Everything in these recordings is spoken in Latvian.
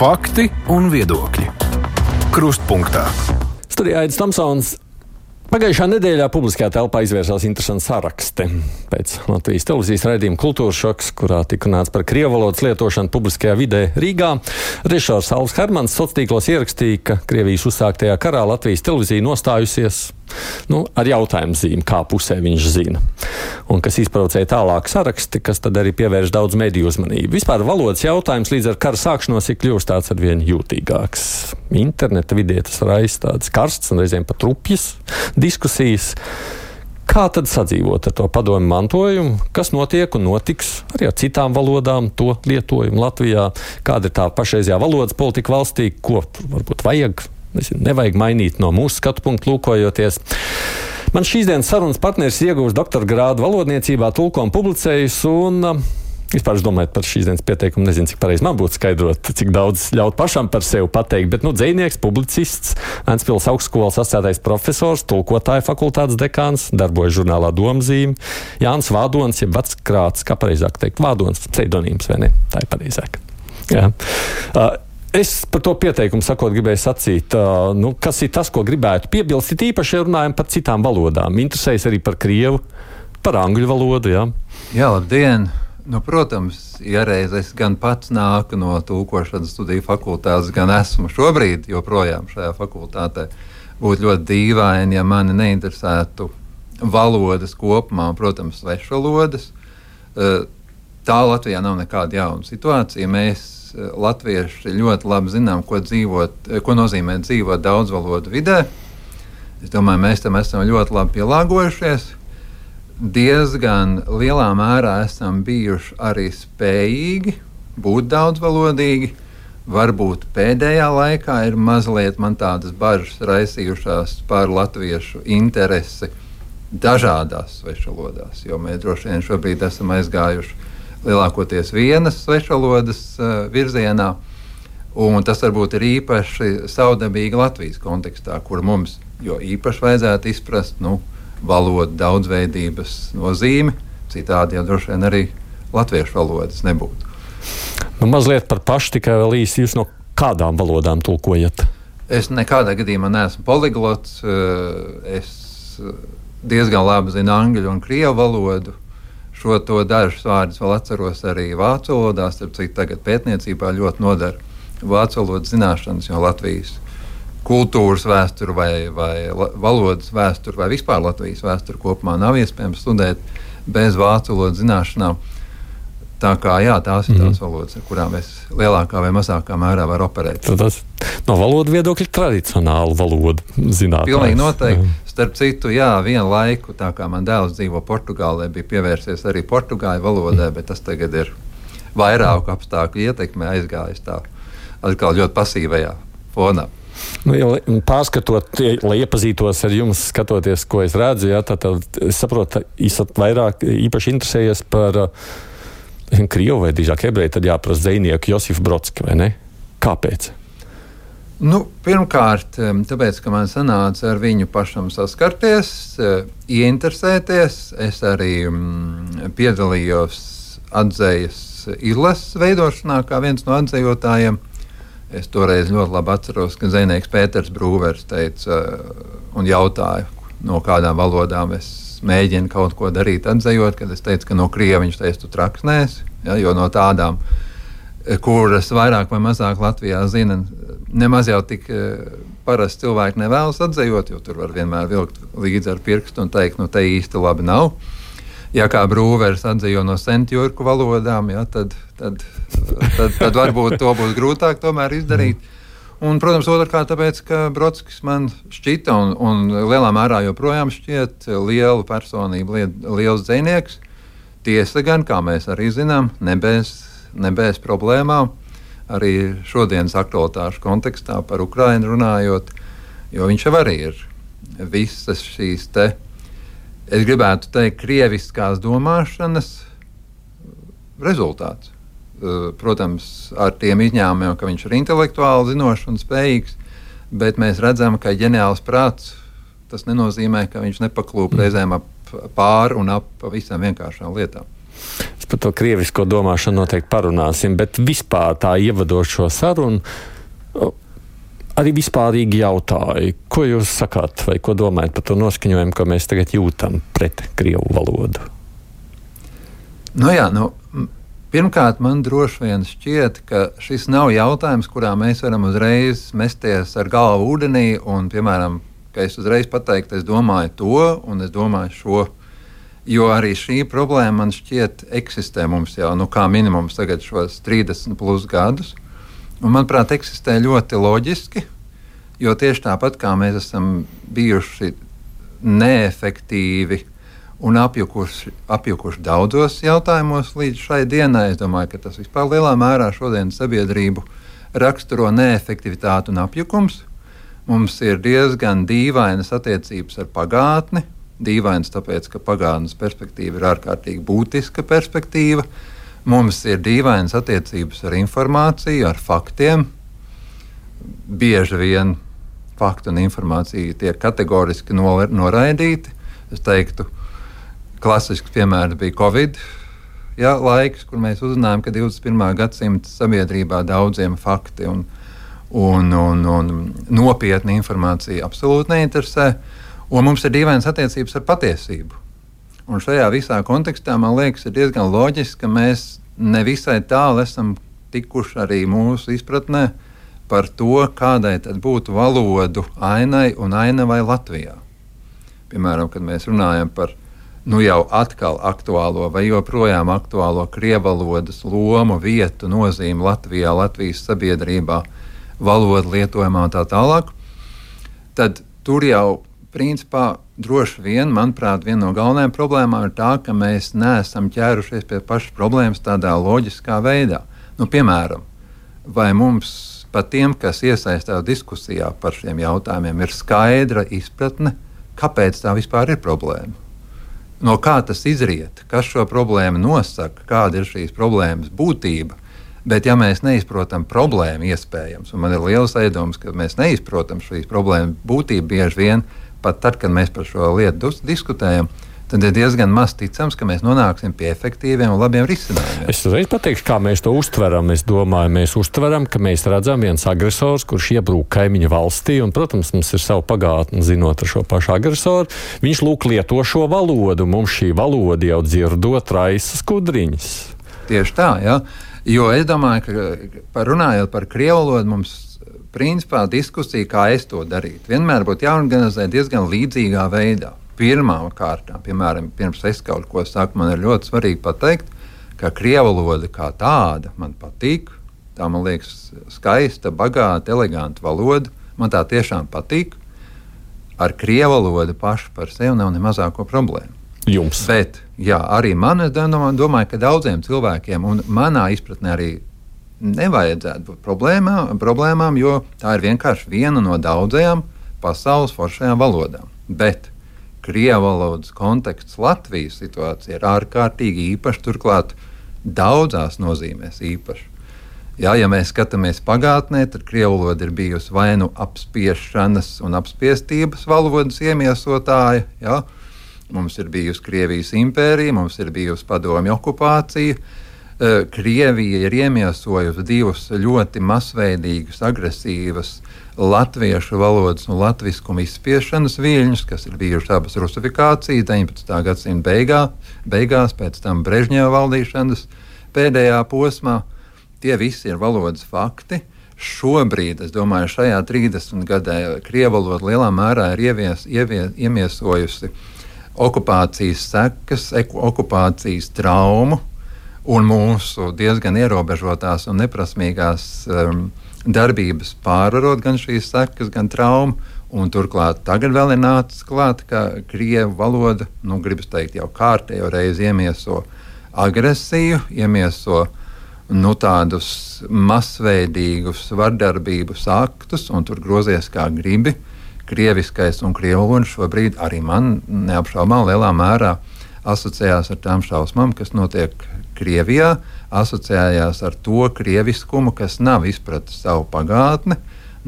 Fakti un viedokļi. Krustpunktā. Studijā Aidis Tomsons. Pagājušā nedēļā publiskajā telpā izvērsās interesants saraksti. Pēc Latvijas televīzijas raidījuma Kultūras šoks, kurā tika runāts par krievu valodas lietošanu publiskajā vidē Rīgā, režisors Alvis Hermans sociālos tīklos ierakstīja, ka Krievijas uzsāktajā karā Latvijas televīzija nostājusies ar jautājumu zīmi, kā pusē viņš zina. Un kas izprovocēja tālāk saraksti, kas tad arī pievērš daudz mediju uzmanību. Vispār valodas jautājums līdz ar kara sākšanos ir kļuvis tāds arvien jūtīgāks. Interneta vidē tas raisa tādas karstas un reizēm pat rupjas diskusijas. Kā tad sadzīvot ar to padomju mantojumu? Kas notiek un notiks arī ar citām valodām, to lietojumu Latvijā? Kāda ir tā pašreizējā valodas politika valstī? Ko varbūt vajag? Nevajag mainīt no mūsu skatu punktu lūkojoties. Man šīs dienas sarunas partneris ieguvis doktora grādu valodniecībā, tulko un publicējis, un vispār es domāju par šīs dienas pieteikumu, nezinu, cik pareizi man būtu skaidrot, cik daudz ļaut pašam par sevi pateikt, bet dzejnieks, publicists, Ventspils augstskolas asociētais profesors, tulkotāja fakultātes dekāns, darbojas žurnālā Domzīme, Jānis Vādons, jeb Veckrāts, kā pareizāk teikt, Vādons, pseidonīms, vai ne? Tā ir pareizāk. Jā. Es par to pieteikumu sakot gribēju sacīt, kas ir tas, ko gribētu piebilst, it īpaši, ja runājam par citām valodām. Interesējas arī par krievu, par angļu valodu, jā? Jā, labdien! Protams, ja reiz es gan pats nāku no tulkošanas studiju fakultātes, gan esmu šobrīd joprojām šajā fakultātē, būtu ļoti dīvaini, ja mani neinteresētu valodas kopumā, protams, svešvalodas. Tā Latvijā nav nekāda jauna situācija. Mēs latvieši ļoti labi zinām, ko nozīmē dzīvot daudzvalodu vidē. Es domāju, mēs tam esam ļoti labi pielāgojušies. Diezgan lielā mērā esam bijuši arī spējīgi būt daudzvalodīgi. Varbūt pēdējā laikā ir mazliet man tādas bažas raisījušās par latviešu interesi dažādās svešvalodās, jo mēs droši vien šobrīd esam aizgājuši lielākoties vienas svešvalodas virzienā, un tas varbūt ir īpaši savdabīgi Latvijas kontekstā, kur mums jo īpaši vajadzētu izprast valodu daudzveidības nozīmi, citādi jau droši vien arī latviešu valodas nebūtu. Mazliet par pašu, tikai vēl īsi, jūs no kādām valodām tulkojat? Es nekādā gadījumā neesmu poliglots, es diezgan labi zinu angļu un krievu valodu. Šo to dažus vārdus vēl atceros arī vācu valodā, starp citu tagad pētniecībā ļoti nodara vācu valodas zināšanas, jo Latvijas kultūras vēsturi vai valodas vēsturi vai vispār Latvijas vēsturi kopumā nav iespējams studēt bez vācu valodas zināšanām. Tā kā jā, tās ir tās valodas, ar kurām es lielākā vai mazākā mērā varu operēt. Tas no valodu viedokļa tradicionāla valoda zinātājs. Pilnīgi noteikti. Starp citu, jā, vienu laiku, tā kā man dēls dzīvo Portugālē, bija pievērsies arī portugāļu valodai, bet tas tagad ir vairāku apstākļu ietekmē aizgājis tā atkal ļoti pasīvajā fonā. Pārskatot, lai iepazītos ar jums, skatoties, ko es redzu, tad es saprotu, esat vairāk īpaši interesējies par krievu vai drīzāk ebreju, tad jāprasa dzejnieku Josifu Brodski, vai ne? Kāpēc? Pirmkārt, tāpēc, ka man sanāca ar viņu pašam saskarties, ieinteresēties. Es arī piedalījos atdzejas izlases veidošanā kā viens no atdzejotājiem. Es toreiz ļoti labi atceros, ka dzejnieks Pēters Brūvers teica un jautāja, no kādām valodām es mēģinu kaut ko darīt atzejot, kad es teicu, ka no krievu viņš teica, tu traksnēsi, jo no tādām, kuras vairāk vai mazāk Latvijā zina, nemaz jau tik parasti cilvēki nevēlas atzejot, jo tur var vienmēr vilkt līdzi ar pirkstu un teikt, te īsti labi nav. Ja kā Brūvers atzejo no sentjurku valodām, tad varbūt to būs grūtāk tomēr izdarīt. Un, protams, otrkārt, tāpēc, ka Brodskis man šķita un lielā mērā joprojām šķiet lielu personību, liels dzejnieks. Tiesa gan, kā mēs arī zinām, ne bez problēmām, arī šodienas aktualitāšu kontekstā par Ukrainu runājot, jo viņš jau arī ir visas šīs es gribētu teikt, krieviskās domāšanas rezultāts. Protams, ar tiem izņēmumiem, ka viņš ir intelektuāli zinošs un spējīgs, bet mēs redzam, ka ģeniāls prāts, tas nenozīmē, ka viņš nepaklūp reizēm pāri un ap visām vienkāršām lietām. Es par to krievisko domāšanu noteikti parunāsim, bet vispār tā ievadot šo sarunu, arī vispārīgi jautāju, ko jūs sakāt vai ko domājat par to noskaņojumu, ko mēs tagad jūtam pret krievu valodu? Pirmkārt, man droši vien šķiet, ka šis nav jautājums, kurā mēs varam uzreiz mesties ar galvu ūdenī un, piemēram, ka es uzreiz pateiktu, es domāju to un es domāju šo, jo arī šī problēma man šķiet eksistē mums jau, kā minimums tagad šos 30 plus gadus, un, manuprāt, eksistē ļoti loģiski, jo tieši tāpat kā mēs esam bijuši neefektīvi un apjukuši daudzos jautājumos līdz šai dienai. Es domāju, ka tas vispār lielā mērā šodien sabiedrību raksturo neefektivitāti un apjukums. Mums ir diezgan dīvainas attiecības ar pagātni. Dīvainas tāpēc, ka pagātnes perspektīva ir ārkārtīgi būtiska perspektīva. Mums ir dīvainas attiecības ar informāciju, ar faktiem. Bieži vien faktu un informācija tiek kategoriski noraidīti. Es teiktu, klasisks piemērs bija Covid laiks, kur mēs uzzinājām, ka 21. gadsimta sabiedrībā daudziem fakti un nopietna informācija absolūti neinteresē. Un mums ir dīvainas attiecības ar patiesību. Un šajā visā kontekstā, man liekas, ir diezgan loģiski, ka mēs nevisai tālu esam tikuši arī mūsu izpratnē par to, kādai tad būtu valodu ainai un ainavai Latvijā. Piemēram, kad mēs runājam par jau atkal aktuālo vai joprojām aktuālo krievvalodas lomu, vietu, nozīmi Latvijā, Latvijas sabiedrībā, valodu lietojumā un tā tālāk, tad tur jau principā droši vien, manuprāt, viena no galvenajām problēmām ir tā, ka mēs neesam ķērušies pie pašas problēmas tādā loģiskā veidā. Piemēram, vai mums pat tiem, kas iesaistās diskusijā par šiem jautājumiem, ir skaidra izpratne, kāpēc tā vispār ir problēma? No kā tas izriet, kas šo problēmu nosaka, kāda ir šīs problēmas būtība. Bet ja mēs neizprotam problēmu iespējams, un man ir liels aizdoms, ka mēs neizprotam šīs problēmas būtību bieži vien, pat tad, kad mēs par šo lietu diskutējam, tad ir diezgan maz ticams, ka mēs nonāksim pie efektīviem un labiem risinājumiem. Es uzreiz pateikšu, kā mēs to uztveram. Es domāju, mēs uztveram, ka mēs redzam viens agresors, kurš iebrūk kaimiņu valstī, un, protams, mums ir savu pagātni zinot ar šo pašu agresoru. Viņš lieto šo valodu, mums šī valoda jau dzirdot raisa skudriņas. Tieši tā, jā. Jo es domāju, ka runājot par krievu valodu, mums principā diskusija, kā es to darītu, vienmēr būtu jāorganizē diezgan līdzīgā veidā. Pirmām kārtām, piemēram, pirms es kaut ko saku, man ir ļoti svarīgi pateikt, ka krievu valoda kā tāda man patīk. Tā man liekas skaista, bagāta, eleganta valoda. Man tā tiešām patīk. Ar krievu valodu pašu par sevi nav ne mazāko problēmu. Jums? Bet, arī man, es domāju, ka daudziem cilvēkiem, un manā izpratnē arī nevajadzētu būt problēmām, jo tā ir vienkārši viena no daudzajām pasaules foršajām valodām. Bet krievu valodas konteksts Latvijas situācija ir ārkārtīgi īpašs, turklāt daudzās nozīmēs īpašs. Ja mēs skatāmies pagātnē, tad krievu valoda ir bijusi vai nu apspiešanas un apspiestības valodas iemiesotāja. Ja? Mums ir bijusi Krievijas impērija, mums ir bijusi padomju okupācija. Krievija ir iemiesojusi divus ļoti masveidīgus, agresīvas latviešu valodas un latviskuma izspiešanas viļņus, kas ir bijušas abas rusifikācijas 19. gadsimta beigās, pēc tam Brežņeva valdīšanas pēdējā posmā. Tie visi ir valodas fakti. Šobrīd, es domāju, šajā 30 gadē krievu valoda lielā mērā ir iemiesojusi okupācijas sekas, okupācijas traumu un mūsu diezgan ierobežotās un neprasmīgās darbības pārvarot gan šīs sekas, gan traumu. Un turklāt tagad vēl ir nācis klāt, ka krievu valoda, gribas teikt, jau kārtējo reizi iemieso agresiju, iemieso tādus masveidīgus vardarbības aktus, un tur grozies kā gribi. Krieviskais un krievu valoda šobrīd arī man neapšaubām lielā mērā asociējās ar tām šausmām, kas notiek Krievijā, asociējās ar to krieviskumu, kas nav izpratis savu pagātni,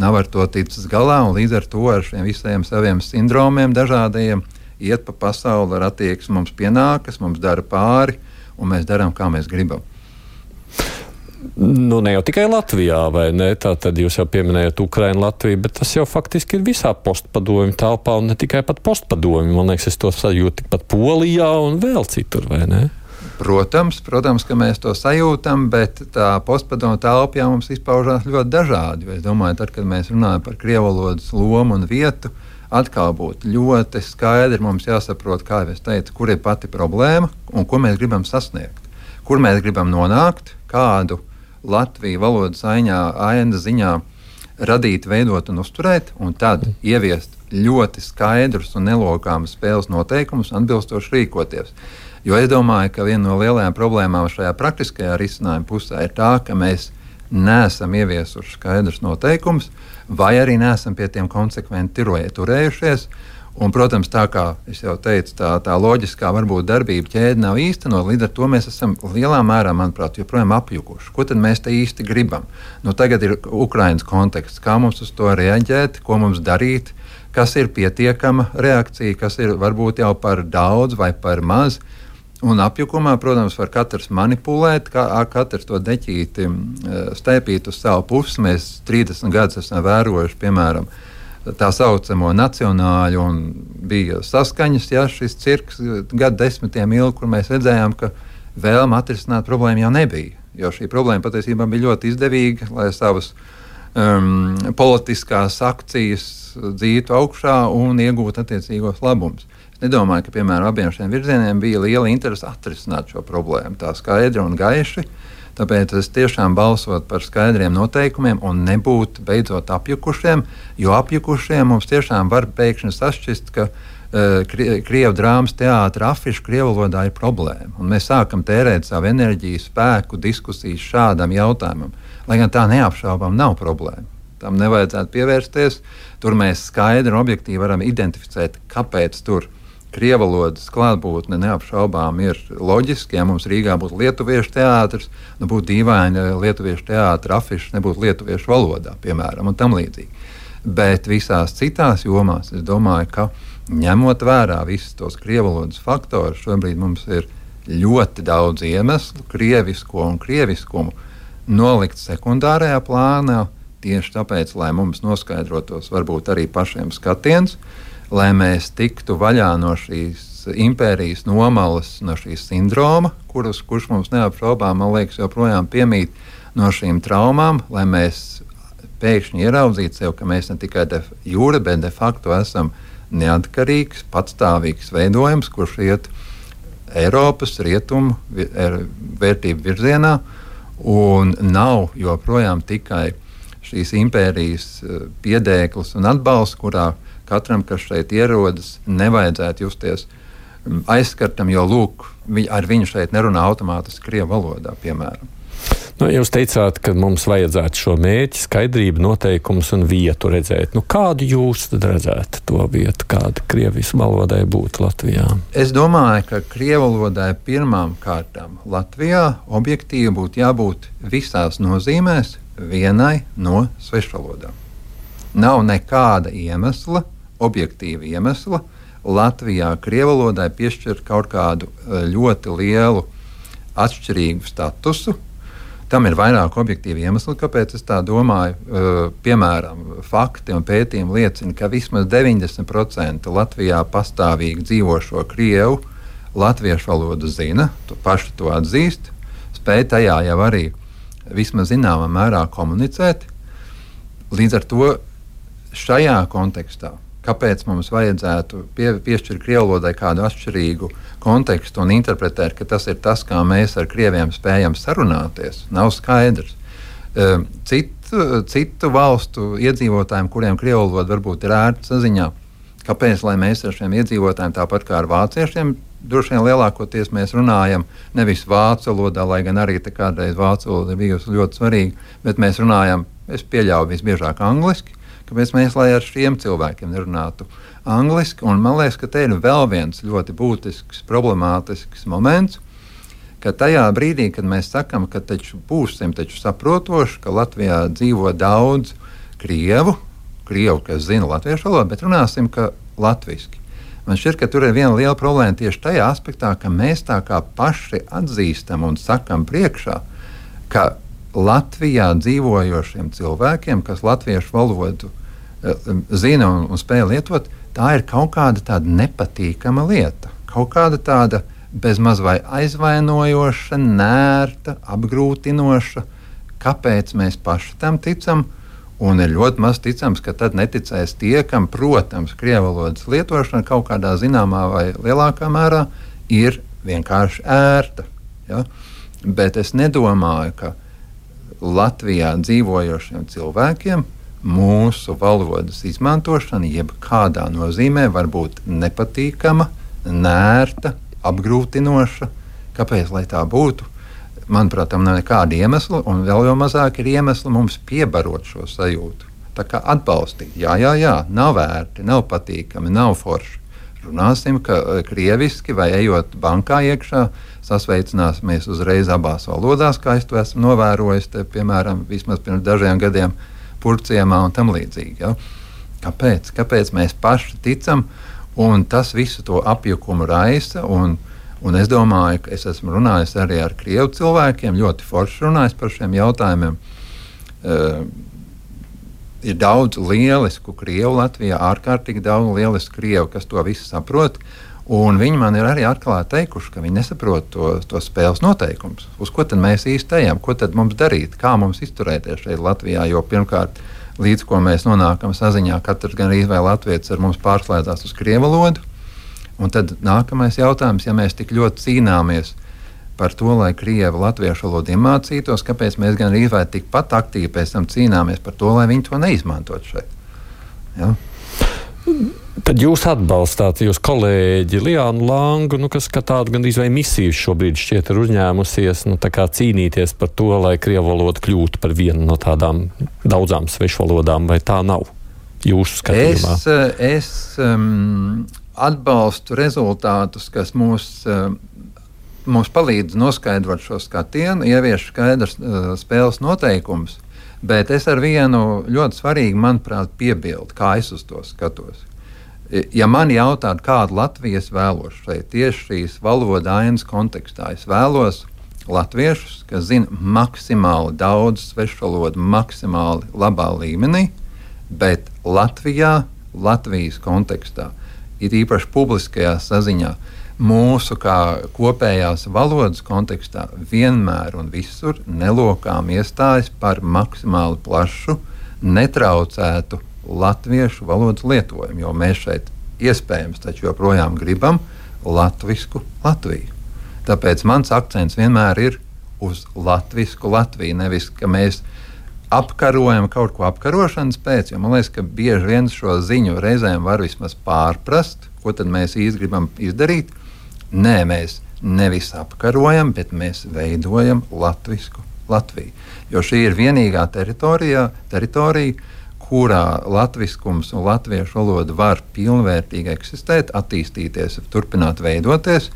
nav ar to ticis galā, un līdz ar to ar šiem visiem saviem sindromiem dažādajiem iet pa pasauli ar attieksmi mums pienākas, mums dara pāri, un mēs darām, kā mēs gribam. Nu, ne jau tikai Latvijā, vai ne? Tā tad jūs jau pieminējat Ukrainu, Latviju, bet tas jau faktiski ir visā postpadomju telpā un ne tikai pat postpadomju. Man liekas, es to sajūtu tikpat Polijā un vēl citur, vai ne? Protams, ka mēs to sajūtam, bet tā postpadomju telpa mums izpaužās ļoti dažādi. Es domāju, tad, kad mēs runājam par krievvalodas lomu un vietu, atkal būtu ļoti skaidri mums jāsaprot, kā jau es teicu, kur ir pati problēma un ko mēs gribam sasniegt. Kur mēs gribam nonākt, kādu Latviju valodas aina ziņā radīt, veidot un uzturēt, un tad ieviest ļoti skaidrus un nelokāmus spēles noteikumus, atbilstoši rīkoties. Jo es domāju, ka viena no lielajām problēmām šajā praktiskajā risinājuma pusē ir tā, ka mēs neesam ieviesuši skaidrus noteikumus, vai arī neesam pie tiem konsekventi turējušies. Un, protams, tā kā es jau teicu, tā loģiskā varbūt darbība ķēde nav īstenot, līdz ar to mēs esam lielā mērā, manuprāt, joprojām apjukuši. Ko tad mēs te īsti gribam? Nu, tagad ir Ukrainas konteksts, kā mums uz to reaģēt, ko mums darīt, kas ir pietiekama reakcija, kas ir varbūt jau par daudz vai par maz. Un apjukumā, protams, var katrs manipulēt, katrs to deķīti stēpīt uz savu pusi. Mēs 30 gadus esam vērojuši, piemēram, tā saucamo nacionāļu, un bija saskaņas, šis cirks gadu desmitiem ilgi, kur mēs redzējām, ka vēlme atrisināt problēmu jau nebija. Jo šī problēma patiesībā bija ļoti izdevīga, lai savas politiskās akcijas dzītu augšā un iegūtu attiecīgos labumus. Es nedomāju, ka, piemēram, abiem šiem virzieniem bija liela interese atrisināt šo problēmu tā skaidri un gaiši. Tāpēc es tiešām balsotu par skaidriem noteikumiem un nebūtu beidzot apjukušiem, jo apjukušiem mums tiešām var pēkšņi sašķist, ka Krievu drāmas teātra afišu krievu valodā ir problēma. Un mēs sākam tērēt savu enerģiju, spēku, diskusijas šādam jautājumam, lai gan tā neapšaubām nav problēma. Tam nevajadzētu pievērsties. Tur mēs skaidri un objektīvi varam identificēt, kāpēc tur krievu valodas klātbūtne neapšaubām ir loģiski. Ja mums Rīgā būtu lietuviešu teātris, nu būtu dīvaini lietuviešu teātra afišas nebūtu lietuviešu valodā, piemēram, un tam līdzīgi. Bet visās citās jomās es domāju, ka ņemot vērā visus tos krievu valodas faktorus, šobrīd mums ir ļoti daudz iemeslu krievisko un krieviskumu nolikt sekundārajā plānā, tieši tāpēc, lai mums noskaidrotos varbūt arī pašiem skatiens, lai mēs tiktu vaļā no šīs impērijas nomalas, no šīs sindroma, kurš mums neapšaubām, man liekas, joprojām piemīt no šīm traumām, lai mēs pēkšņi ieraudzītu sev, ka mēs ne tikai de jure, bet de facto esam neatkarīgs, patstāvīgs veidojums, kurš iet Eiropas rietumu vērtību virzienā, un nav joprojām tikai šīs impērijas piedēklis un atbalsts, kurā katram, kas šeit ierodas, nevajadzētu justies aizskartam, jo lūk, ar viņu šeit nerunā automātiski krievu valodā, piemēram. Nu, jūs teicāt, ka mums vajadzētu šo mērķi, skaidrību, noteikumus un vietu redzēt. Nu, kādu jūs tad redzētu to vietu, kāda krievis valodai būtu Latvijā? Es domāju, ka krievu valodai pirmām kārtām Latvijā objektīvi būtu jābūt visās nozīmēs vienai no svešvalodām. Nav nekāda iemesla, objektīva iemesla, Latvijā krievu valodai piešķirt kaut kādu ļoti lielu atšķirīgu statusu. Tam ir vairāk objektīvi iemesli, kāpēc es tā domāju. Piemēram, fakti un pētījumi liecina, ka vismaz 90% Latvijā pastāvīgi dzīvošo krievu latviešu valodu zina, paši to atzīst, spēj tajā jau arī vismaz zināmā mērā komunicēt. Līdz ar to šajā kontekstā, kāpēc mums vajadzētu piešķirt krievu valodai kādu atšķirīgu kontekstu un interpretēt, ka tas ir tas, kā mēs ar krieviem spējam sarunāties, nav skaidrs. Citu valstu iedzīvotājiem, kuriem krievu valoda varbūt ir ērta saziņā, kāpēc, lai mēs ar šiem iedzīvotājiem, tāpat kā ar vāciešiem, droši vien lielākoties mēs runājam nevis vācu valodā, lai gan arī te kādreiz vācu valoda bijusi ļoti svarīga, bet mēs runājam, es pieļauju visbiežāk angliski, kāpēc mēs, lai ar šiem cilvēkiem nerunātu angliski, un man liekas, ka te ir vēl viens ļoti būtisks, problemātisks moments, ka tajā brīdī, kad mēs sakam, ka būsim saprotoši, ka Latvijā dzīvo daudz krievu, kas zina latviešu valodu, bet runāsim, ka latviski. Man šķiet, ka tur ir viena liela problēma tieši tajā aspektā, ka mēs tā kā paši atzīstam un sakam priekšā, ka Latvijā dzīvojošiem cilvēkiem, kas latviešu valodu zina un spēj lietot, tā ir kaut kāda tāda nepatīkama lieta. Kaut kāda tāda bezmaz vai aizvainojoša, nērta, apgrūtinoša. Kāpēc mēs paši tam ticam? Un ir ļoti maz ticams, ka tad neticēs tie, kam, protams, krievu valodas lietošana kaut kādā zināmā vai lielākā mērā ir vienkārši ērta. Ja? Bet es nedomāju, ka Latvijā dzīvojošiem cilvēkiem mūsu valodas izmantošana jebkādā nozīmē var būt nepatīkama, nērta, apgrūtinoša. Kāpēc, lai tā būtu? Manuprāt, tam nav nekāda iemesla, un vēl jau mazāk ir iemesla mums piebarot šo sajūtu. Tā kā atbalstīt, jā, nav vērti, nav patīkami, nav forši. Runāsim, ka krieviski vai ejot bankā iekšā, sasveicināsimies uzreiz abās valodās, kā es to esmu novērojis, te, piemēram, vismaz pirms dažiem gadiem Purciemā un tam līdzīgi. Ja? Kāpēc mēs paši ticam, un tas visu to apjukumu raisa, un es domāju, ka es esmu runājis arī ar krievu cilvēkiem, ļoti forši runājis par šiem jautājumiem. Ir daudz lielisku krievu Latvijā, ārkārtīgi daudz lielisku krievu, kas to visu saprot, un viņi man ir arī atklāti teikuši, ka viņi nesaprot to spēles noteikumus. Uz ko tad mēs īsti ejam, ko tad mums darīt, kā mums izturēties šeit Latvijā, jo pirmkārt, līdz ko mēs nonākam saziņā, katrs gan arī vai latvietis ar mums pārslēdzās uz krievu valodu. Un tad nākamais jautājums, ja mēs tik ļoti cīnāmies par to, lai krievi latviešu valodu iemācītos, kāpēc mēs gan arī vai tikpat aktīvi pēc tam cīnāmies par to, lai viņi to neizmantot šeit. Ja? Tad jūs atbalstāt jūs kolēģi Liānu Langu, kas kā tādu gandrīz vai misiju šobrīd šķiet ir uzņēmusies, tā kā cīnīties par to, lai krievu valoda kļūtu par vienu no tādām daudzām svešvalodām, vai tā nav jūsu skatījumā? Es atbalstu rezultātus, kas mums palīdz noskaidrot šo skatienu, ievieš skaidrs spēles noteikumus, bet es ar vienu ļoti svarīgu, manuprāt, piebildu, kā es uz to skatos. Ja man jautātu, kādu Latviju es vēlos šeit, tieši šīs valoda ainas kontekstā, es vēlos latviešus, kas zina maksimāli daudz svešvalodu, maksimāli labā līmenī, bet Latvijā, Latvijas kontekstā, ir īpaši publiskajā saziņā, mūsu kā kopējās valodas kontekstā vienmēr un visur nelokām iestājas par maksimāli plašu, netraucētu latviešu valodas lietojumu, jo mēs šeit iespējams taču joprojām gribam latvisku Latviju. Tāpēc mans akcents vienmēr ir uz latvisku Latviju, nevis, ka mēs apkarojam kaut ko apkarošanas pēc, jo man liekas, ka bieži vien šo ziņu reizēm var vismaz pārprast, ko tad mēs īsti gribam izdarīt. Nē, mēs nevis apkarojam, bet mēs veidojam latvisku Latviju. Jo šī ir vienīgā teritorija, kurā latviskums un latviešu valoda var pilnvērtīgi eksistēt, attīstīties, turpināt veidoties.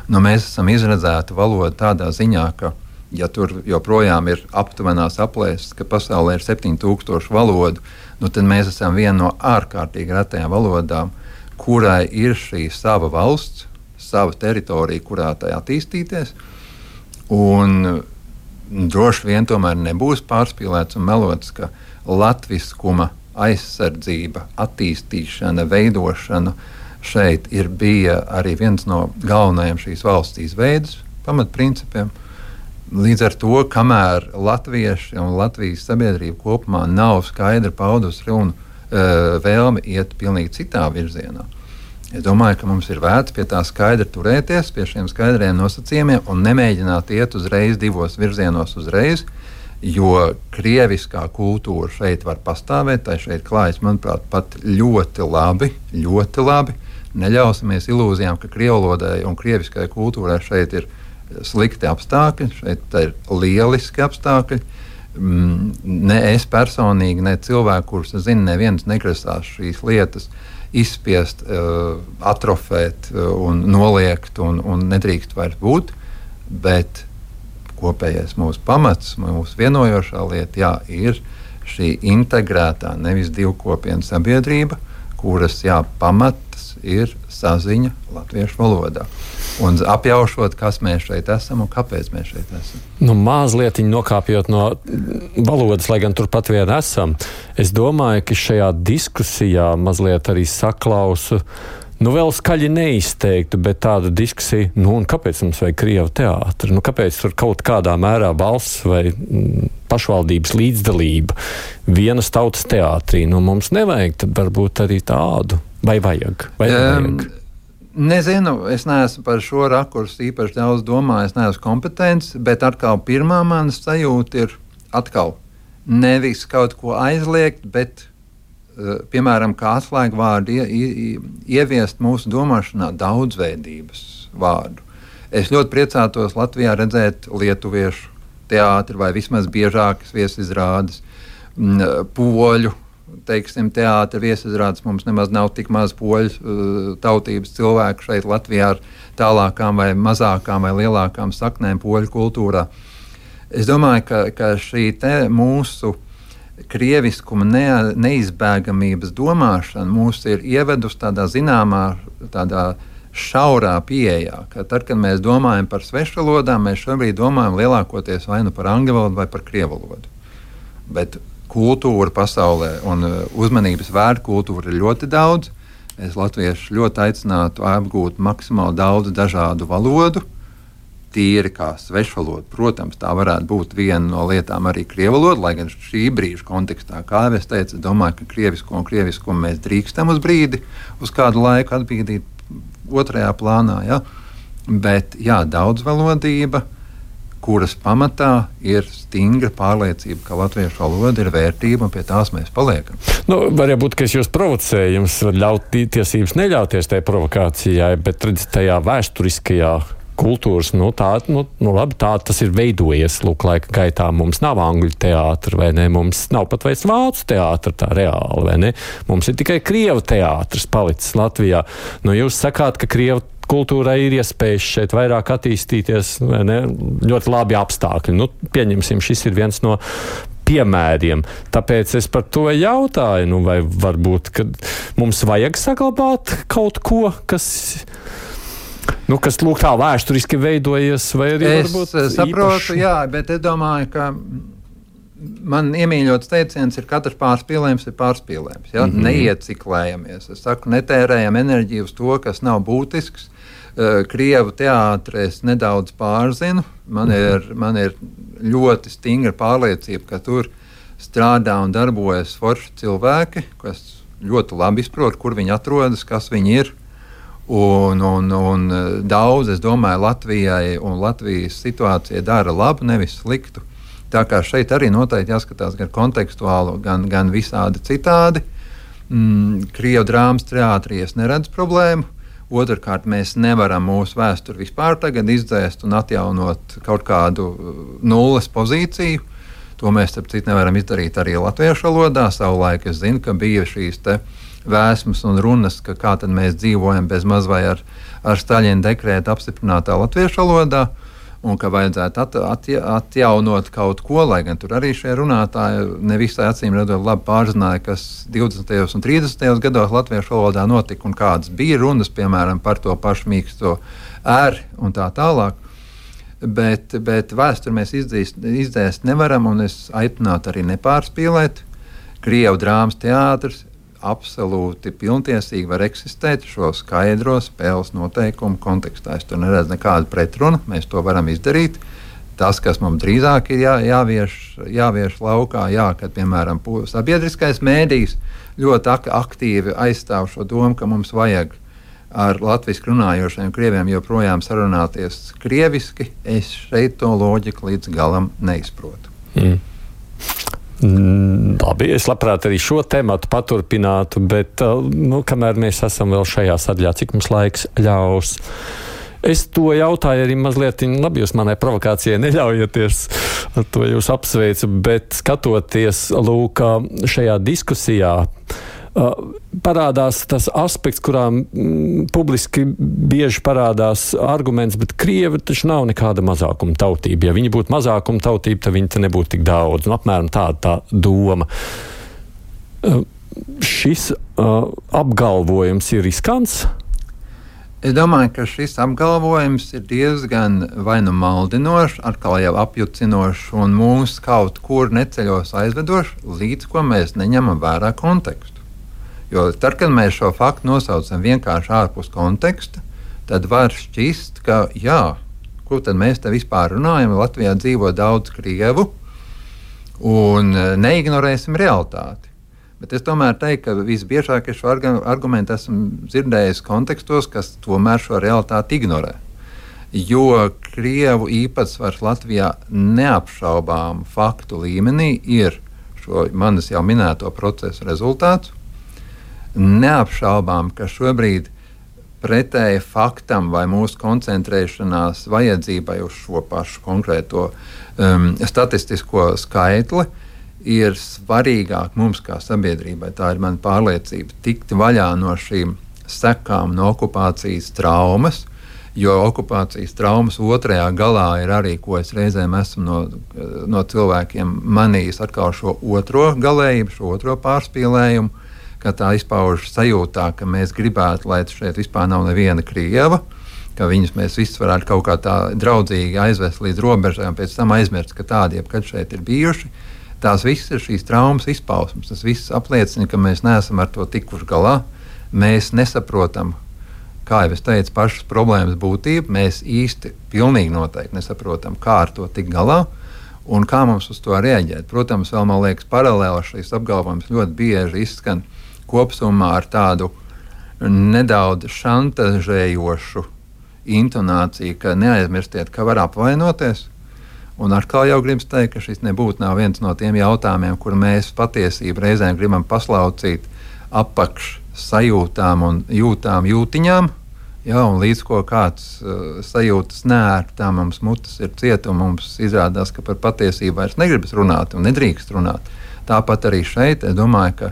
Mēs esam izredzēti valodu tādā ziņā, ka, ja tur joprojām ir aptuvenās aplēses, ka pasaulē ir 7000 valodu, tad mēs esam viena no ārkārtīgi retajām valodām, kurai ir šī sava valsts, sava teritorija, kurā tai attīstīties. Un droši vien tomēr nebūs pārspīlēts un melots, ka latviskuma aizsardzība, attīstīšana, veidošana šeit bija arī viens no galvenajiem šīs valsts izveides pamatprincipiem. Līdz ar to, kamēr latvieši un Latvijas sabiedrība kopumā nav skaidri paudusi vēlmi iet pilnīgi citā virzienā, es domāju, ka mums ir vērts pie tā skaidri turēties, pie šiem skaidriem nosacījumiem un nemēģināt iet uzreiz divos virzienos uzreiz, jo krieviskā kultūra šeit var pastāvēt, tai šeit klājas, manuprāt, pat ļoti labi. Neļausimies ilūzijām, ka krievlodai un krieviskai kultūrai šeit ir slikti apstākļi, šeit ir lieliski apstākļi. Ne es personīgi, ne cilvēki, kurus es zinu, neviens negrasās šīs lietas izspiest, atrofēt un noliegt un nedrīkst vairs būt, bet kopējais mūsu pamats, mūsu vienojošā lieta, ir šī integrētā, nevis divkopienu sabiedrība, kuras pamats ir saziņa latviešu valodā. Un apjaušot, kas mēs šeit esam un kāpēc mēs šeit esam. Mazliet nokāpjot no valodas, lai gan turpat vien esam, es domāju, ka šajā diskusijā mazliet arī saklausu, vēl skaļi neizteiktu, bet tāda diskusija, un kāpēc mums vajag krievu teātri? Kāpēc tur kaut kādā mērā balss vai pašvaldības līdzdalība vienas tautas teātrī? Mums nevajag, tad varbūt arī tādu. Vai vajag? Vai nevajag? Nezinu, es neesmu par šo rakursu īpaši daudz domājis, neesmu kompetents, bet atkal pirmā manas sajūta ir atkal nevis kaut ko aizliegt, bet piemēram, kā atslēgvārdu ieviest mūsu domāšanā daudzveidības vārdu. Es ļoti priecātos Latvijā redzēt lietuviešu teātri vai vismaz biežākas viesizrādes, poļu, teātri viesizrādes. Mums nemaz nav tik maz poļu tautības cilvēku šeit Latvijā ar tālākām vai mazākām vai lielākām saknēm poļu kultūrā. Es domāju, ka šī mūsu krieviskuma neizbēgamības domāšana mūs ir ievedusi tādā zināmā, tādā šaurā pieejā, ka tad, kad mēs domājam par svešvalodām, mēs šobrīd domājam lielākoties vai par angļu valodu vai par krievu valodu. Bet kultūra pasaulē un uzmanības vērta kultūra ir ļoti daudz. Es latviešu ļoti aicinātu apgūt maksimāli daudz dažādu valodu, tīri kā svešvaloda. Protams, tā varētu būt viena no lietām arī krievu valoda, lai gan šī brīža kontekstā, kā jau es teicu, es domāju, ka krieviskumu mēs drīkstam uz brīdi, uz kādu laiku atbīdīt otrajā plānā. Ja? Bet daudzvalodība, kuras pamatā ir stingra pārliecība, ka latviešu valoda ir vērtība un pie tās mēs paliekam. Varētu būt, ka es jūs provocēju, jums var ļaut tiesības neļauties tajā provokācijā, bet redzat tajā vēsturiskajā kultūras, labi, tas ir veidojies, laika gaitā. Mums nav angļu teātra, vai ne? Mums nav pat vairs vācu teātra tā reāli, vai ne? Mums ir tikai krievu teātris palicis Latvijā. Jūs sakāt, ka krievu kultūrai ir iespējas šeit vairāk attīstīties, vai ne? Ļoti labi apstākļi. Pieņemsim, šis ir viens no piemēriem. Tāpēc es par to jautāju, vai varbūt, ka mums vajag saglabāt kaut ko, kas lūk tā vēsturiski veidojies, vai arī varbūt saprotu, bet es domāju, ka man iemīļots teiciens ir katrs pārspīlējums ir pārspīlējums. Ja? Neieciklējamies. Es saku, netērējam enerģiju uz to, kas nav būtisks. Krievu teātri es nedaudz pārzinu. Man ir ļoti stingra pārliecība, ka tur strādā un darbojas forši cilvēki, kas ļoti labi izprot, kur viņi atrodas, kas viņi ir. Un daudz, es domāju, Latvijai un Latvijas situācijai dara labu, nevis sliktu. Tā kā šeit arī noteikti jāskatās gan kontekstuāli, gan visādi citādi. Krievu drāmas teātrī es neredzu problēmu. Otrkārt, mēs nevaram mūsu vēsturi vispār tagad izdzēst un atjaunot kaut kādu nulles pozīciju. To mēs, starp citu, nevaram izdarīt arī latviešu valodā. Savulaik es zinu, ka bija šīs vēsmas un runas, ka kā tad mēs dzīvojam bez maz vai ar Staļina dekrēta apstiprinātā latviešu valodā, un ka vajadzētu atjaunot kaut ko, lai gan tur arī šie runātāji nevisai acīm redzot labi pārzināja, kas 20. un 30. gados latviešu valodā notika un kādas bija runas, piemēram, par to pašu mīksto R un tā tālāk. Bet vēsturi mēs izdzēst nevaram, un es aicinātu arī nepārspīlēt. Krievu drāmas teātris absolūti pilntiesīgi var eksistēt šo skaidro spēles noteikumu kontekstā. Es tur neredzu nekādu pretrunu, mēs to varam izdarīt. Tas, kas mums drīzāk ir jāvieš laukā, kad, piemēram, sabiedriskais mēdījis ļoti aktīvi aizstāv šo domu, ka mums vajag ar latviski runājošiem krieviem joprojām sarunāties krieviski, es šeit to loģiku līdz galam neizprotu. Labi, es labprāt arī šo tematu paturpinātu, bet kamēr mēs esam vēl šajā sadaļā, cik mums laiks ļaus. Es to jautāju arī mazliet, labi, jūs manai provokācijai neļaujaties, to jūs apsveicu, bet skatoties lūk šajā diskusijā, parādās tas aspekts, kurā publiski bieži parādās arguments, bet krievi taču nav nekāda mazākuma tautība. Ja viņi būtu mazākuma tautība, tad viņi te nebūtu tik daudz. Apmēram tāda tā doma. šis apgalvojums ir riskants? Es domāju, ka šis apgalvojums ir diezgan vai nu maldinošs, atkal jau apjucinošs un mūs kaut kur neceļos aizvedošs, līdz ko mēs neņemam vērā kontekstu. Jo tad, kad mēs šo faktu nosaucam vienkārši ārpus konteksta, tad var šķist, ka jā, ko tad mēs te vispār runājam, Latvijā dzīvo daudz krievu un neignorēsim realitāti. Bet es tomēr teiktu, ka visbiežāk es šo argumentu esmu dzirdējis kontekstos, kas tomēr šo realitāti ignorē. Jo krievu īpatsvars Latvijā neapšaubām faktu līmenī ir šo manis jau minēto procesu rezultāts. Neapšaubām, ka šobrīd pretēji faktam vai mūsu koncentrēšanās vajadzībai uz šo pašu konkrēto statistisko skaitli ir svarīgāk mums kā sabiedrībai, tā ir mana pārliecība, tikt vaļā no šīm sekām no okupācijas traumas, jo okupācijas traumas otrajā galā ir arī, ko es reizēm esmu no cilvēkiem manījis atkal šo otro galējību, šo otro pārspīlējumu, ka tā izpaužas sajūtā, ka mēs gribētu, lai šeit vispār nav neviena krieva, ka viņus mēs visus varētu kaut kā tā draudzīgi aizvest līdz robežai un pēc tam aizmirst, ka tādi jebkad šeit ir bijuši. Tās visas ir šīs traumas izpausmes. Tas viss apliecina, ka mēs neesam ar to tikuši galā. Mēs nesaprotam, kā jau es teicu, pašas problēmas būtību. Mēs īsti pilnīgi noteikti nesaprotam, kā ar to tikt galā un kā mums uz to reaģēt. Protams, vēl man liekas paralēli šīs apgalvojums ļoti bieži izskan kopsumā ar tādu nedaudz šantažējošu intonāciju, ka neaizmirstiet, ka var apvainoties. Un atkal jau gribas teikt, ka šis nebūtu viens no tiem jautājumiem, kur mēs patiesību reizēm gribam paslaucīt apakš sajūtām un jūtiņām. Jā, un līdz ko kāds sajūtas nērtā, mums mutes ir cieta un mums izrādās, ka par patiesību vairs negribas runāt un nedrīkst runāt. Tāpat arī šeit es domāju, ka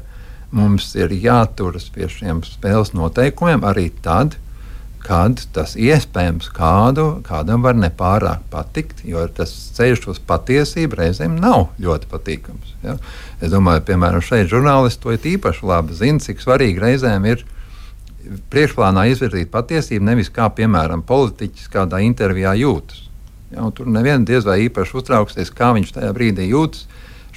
mums ir jāturas pie šiem spēles noteikumiem arī tad, kad tas iespējams kādam var nepārāk patikt, jo tas ceļš uz patiesību reizēm nav ļoti patīkams. Ja? Es domāju, piemēram, šeit žurnālisti to īpaši labi zina, cik svarīgi reizēm ir priekšplānā izvirzīt patiesību, nevis kā, piemēram, politiķis kādā intervijā jūtas. Ja? Tur neviens diez vai īpaši uztrauksies, kā viņš tajā brīdī jūtas.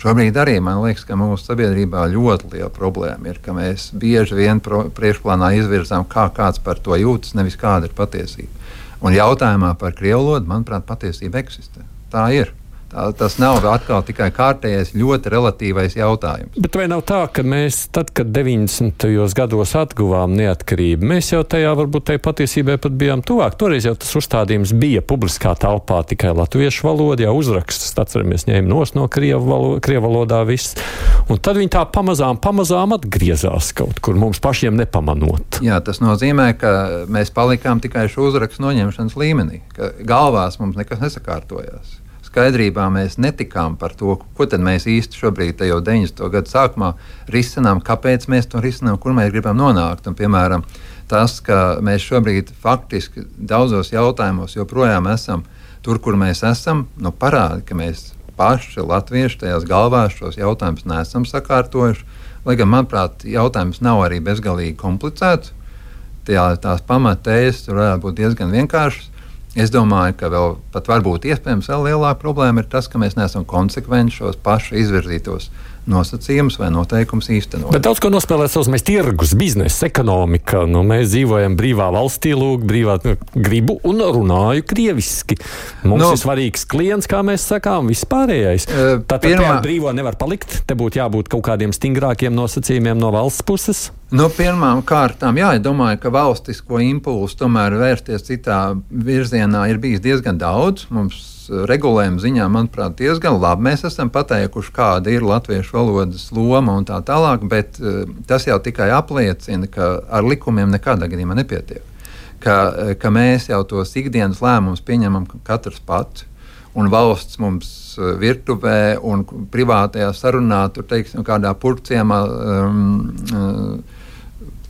Šobrīd arī man liekas, ka mūsu sabiedrībā ļoti liela problēma ir, ka mēs bieži vien priekšplānā izvirzām, kā kāds par to jūtas, nevis kāda ir patiesība. Un jautājumā par krievu valodu, manuprāt, patiesība eksistē. Tā ir. Tas nav atkal tikai kārtējais, ļoti relatīvais jautājums. Bet vai nav tā, ka mēs, tad, kad 90. gados atguvām neatkarību, mēs jau tajā varbūt tai patiesībai pat bijām tuvāk? Toreiz jau tas uzstādījums bija publiskā telpā tikai latviešu valoda, jau uzrakstus, atceramies, ņēma no krievu valodā viss. Un tad viņi tā pamazām atgriezās kaut kur, mums pašiem nepamanot. Jā, tas nozīmē, ka mēs palikām tikai šo uzrakstu noņemšanas līmenī, ka galvās mums nekas nesakārtojās. Skaidrībā mēs netikām par to, ko tad mēs īsti šobrīd, jau 90. gadu sākumā, risinām, kāpēc mēs to risinām, kur mēs gribam nonākt. Un, piemēram, tas, ka mēs šobrīd faktiski daudzos jautājumos joprojām esam tur, kur mēs esam, parāda, ka mēs paši latvieši tajās galvās šos jautājumus neesam sakārtojuši. Lai gan, manuprāt, jautājums nav arī bezgalīgi komplicēts. Tās pamatējas tur varētu būt diezgan vienkāršas. Es domāju, ka vēl pat varbūt iespējams vēl lielāka problēma ir tas, ka mēs neesam konsekventi šos paši izvirzītos nosacījumus vai noteikumus īstenot. Bet daudz ko nospēlē savs mēs tirgus, biznesa, ekonomika. Mēs dzīvojam brīvā valstī, brīvā gribu un runāju krieviski. Mums ir svarīgs klients, kā mēs sakām, vispārējais. Tātad brīvo nevar palikt, te būtu jābūt kaut kādiem stingrākiem nosacījumiem no valsts puses. Pirmām kārtām, es domāju, ka valstisko impulsu tomēr vērsties citā virzienā ir bijis diezgan daudz. Mums regulējuma ziņā, manuprāt, diezgan labi. Mēs esam pateikuši, kāda ir latviešu valodas loma un tā tālāk, bet tas jau tikai apliecina, ka ar likumiem nekādā gadījumā nepietiek. Ka mēs jau tos ikdienas lēmumus pieņemam katrs pats, un valsts mums virtuvē un privātajā sarunā, tur, teiksim, kādā purciemā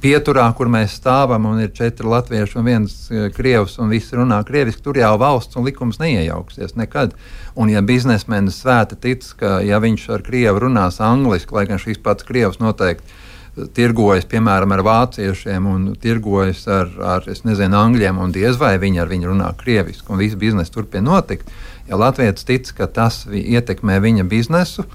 pieturā, kur mēs stāvam, un ir 4 latvieši un 1 krievs, un visi runā krieviski, tur jau valsts un likums neiejauksies nekad. Un ja biznesmenis svēta tic, ka ja viņš ar krievu runās angliski, lai gan šīs pats krievs noteikti tirgojas, piemēram, ar vāciešiem un tirgojas ar angļiem, un diez vai viņi ar viņu runā krieviski, un viss biznesa turpina notikt. Ja latvietis tic, ka tas ietekmē viņa biznesu,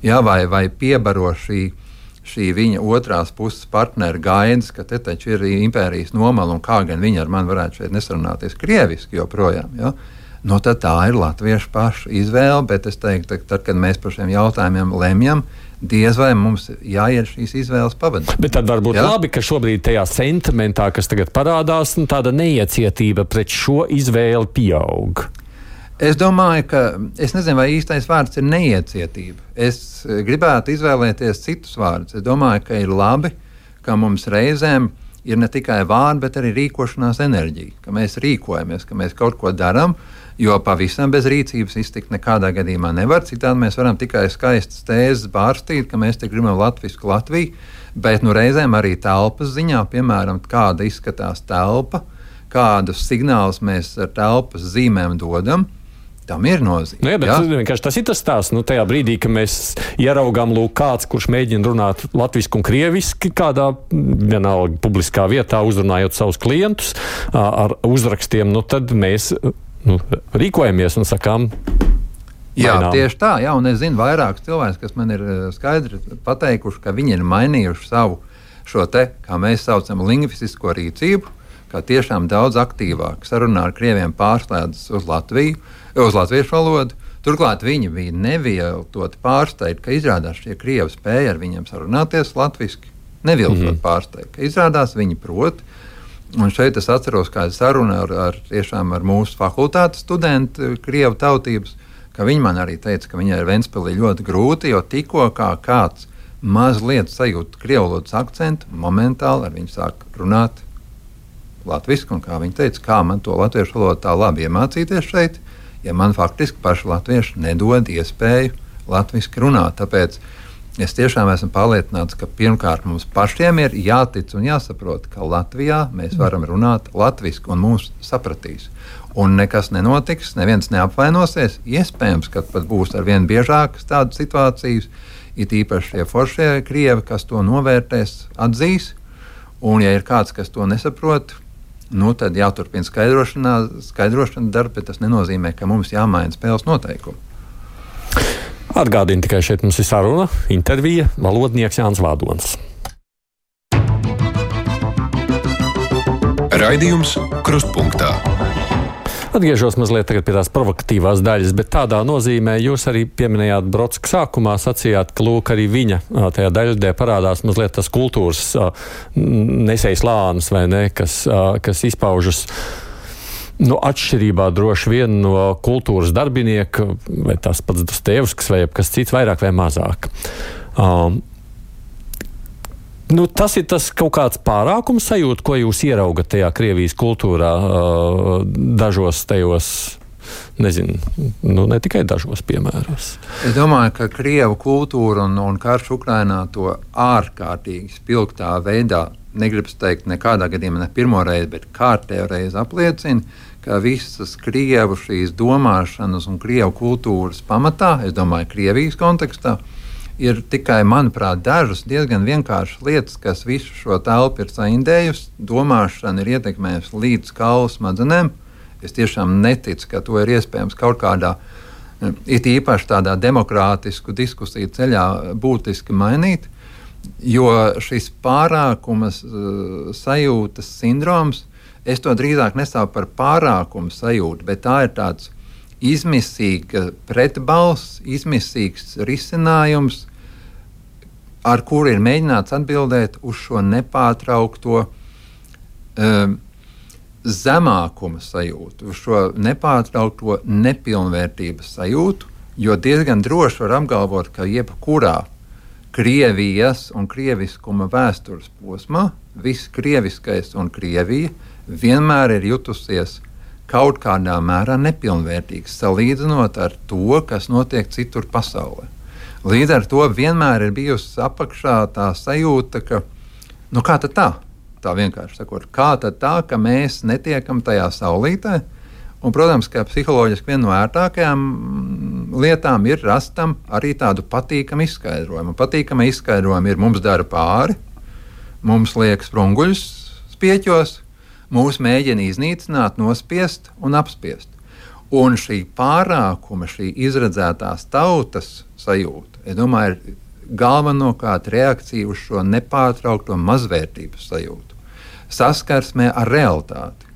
vai piebaro šī viņa otrās puses partnera gaidas, ka te taču ir impērijas nomala un kā gan viņi ar mani varētu šeit nesarunāties krieviski joprojām. Ja? Tad tā ir latviešu pašu izvēle, bet es teiktu, ka tad, kad mēs par šiem jautājumiem lemjam, diez vai mums jāiet šīs izvēles pavadīt. Bet tad varbūt labi, ka šobrīd tajā sentimentā, kas tagad parādās, tāda neiecietība pret šo izvēli pieaug. Es domāju, ka es nezinu, vai īstais vārds ir neiecietība. Es gribētu izvēlēties citus vārdus. Es domāju, ka ir labi, ka mums reizēm ir ne tikai vārdi, bet arī rīkošanās enerģija, ka mēs rīkojamies, ka mēs kaut ko darām, jo pavisam bez rīcības iztikt nekādā gadījumā nevar. Citādi mēs varam tikai skaistas tēzes bārstīt, ka mēs te gribam latvisku Latviju, bet reizēm arī telpas ziņā, piemēram, kāda izskatās telpa, kādus signālus mēs ar telpas zīmēm dodam. Tam ir nozīme. Nu, bet vienkārši tas ir tas stāsts. Tajā brīdī, kad mēs ieraugām kāds, kurš mēģina runāt latviski un krieviski kādā vienalga publiskā vietā, uzrunājot savus klientus ar uzrakstiem, tad mēs rīkojamies un sakām. Jā, tieši tā. Jā, un es zinu vairākus cilvēkus, kas man ir skaidri pateikuši, ka viņi ir mainījuši savu šo te, kā mēs saucam, lingvistisko rīcību, kā tiešām daudz aktīvāk sarunā ar krieviem pārslēdzas uz latviešu valodu. Turklāt viņi bija neviltoti pārsteigti, ka izrādās šie krievi spēja ar viņiem sarunāties latviski. Neviltot pārsteigti, ka izrādās viņi prot. Un šeit es atceros kādu sarunu ar mūsu fakultātes studentu krievu tautības, ka viņi man arī teica, ka viņai ir Ventspilī ļoti grūti, jo tikko kā kāds mazliet sajūt krievu valodas akcentu, momentāli ar viņu sāk runāt latviski, un kā viņi teica, kā man to latviešu valodu tā labi iemācīties šeit, ja man faktiski paši latvieši nedod iespēju latviski runāt. Tāpēc es tiešām esmu pārliecināts, ka pirmkārt mums pašiem ir jātic un jāsaprot, ka Latvijā mēs varam runāt latviski un mūs sapratīs. Un nekas nenotiks, neviens neapvainosies. Iespējams, ka pat būs arvien biežākas tādas situācijas, it īpaši šie foršie krievi, kas to novērtēs, atzīs. Un ja ir kāds, kas to nesaprot, tad jāturpina skaidrošana darba, bet tas nenozīmē, ka mums jāmaina spēles noteikumi. Atgādini tikai šeit mums ir saruna, intervija, valodnieks Jānis Vādons. Raidījums Krustpunktā. Atgriežos mazliet pie tās provokatīvās daļas, bet tādā nozīmē jūs arī pieminējāt Brodska sākumā, sacījāt, ka lūk arī viņa tajā daļadē parādās mazliet tas kultūras nesējs lānis, vai ne, kas izpaužas atšķirībā droši vien no kultūras darbinieka, vai tas pats Dostojevskis vai kas cits, vairāk vai mazāk. Tas ir tas kaut kāds pārākums sajūta, ko jūs ieraugat tajā Krievijas kultūrā dažos tajos, nezinu, ne tikai dažos piemēros. Es domāju, ka Krievu kultūra un karš Ukrainā to ārkārtīgi spilgtā veidā, negribas teikt nekādā gadījumā ne pirmo reizi, bet kārtējo reizi apliecina, ka visas Krievu šīs domāšanas un Krievu kultūras pamatā, es domāju, Krievijas kontekstā, ir tikai, manuprāt, dažas diezgan vienkāršas lietas, kas visu šo telpu ir saindējusi. Domāšana ir ietekmējusi līdz kaulu smadzenēm. Es tiešām neticu, ka to ir iespējams kaut kādā, it īpaši tādā demokrātisku diskusiju ceļā būtiski mainīt, jo šis pārākumas sajūtas sindroms, es to drīzāk nesaucu par pārākumu sajūtu, bet tā ir tāds izmisīga pretbalss, izmisīgs risinājums, ar kuru ir mēģināts atbildēt uz šo nepārtraukto zemākuma sajūtu, uz šo nepārtraukto nepilnvērtības sajūtu, jo diezgan droši var apgalvot, ka jebkurā Krievijas un krieviskuma vēstures posmā viss krieviskais un Krievija vienmēr ir jutusies kaut kādā mērā nepilnvērtīgs, salīdzinot ar to, kas notiek citur pasaulē. Līdz ar to vienmēr ir bijusi apakšā tā sajūta, ka, kā tad tā? Tā vienkārši sakot, kā tad tā, ka mēs netiekam tajā saulītē? Un, protams, ka psiholoģiski viena no ērtākajām lietām ir rastam arī tādu patīkamu izskaidrojumu. Patīkama izskaidrojuma ir mums dara pāri, mums liek sprunguļus spieķos, mūs mēģina iznīcināt, nospiest un apspiest. Un šī pārākuma, šī izredzētās tautas sajūta, es domāju, ir galvenokārt reakcija uz šo nepārtraukto mazvērtības sajūtu. Saskarsmē ar realitāti,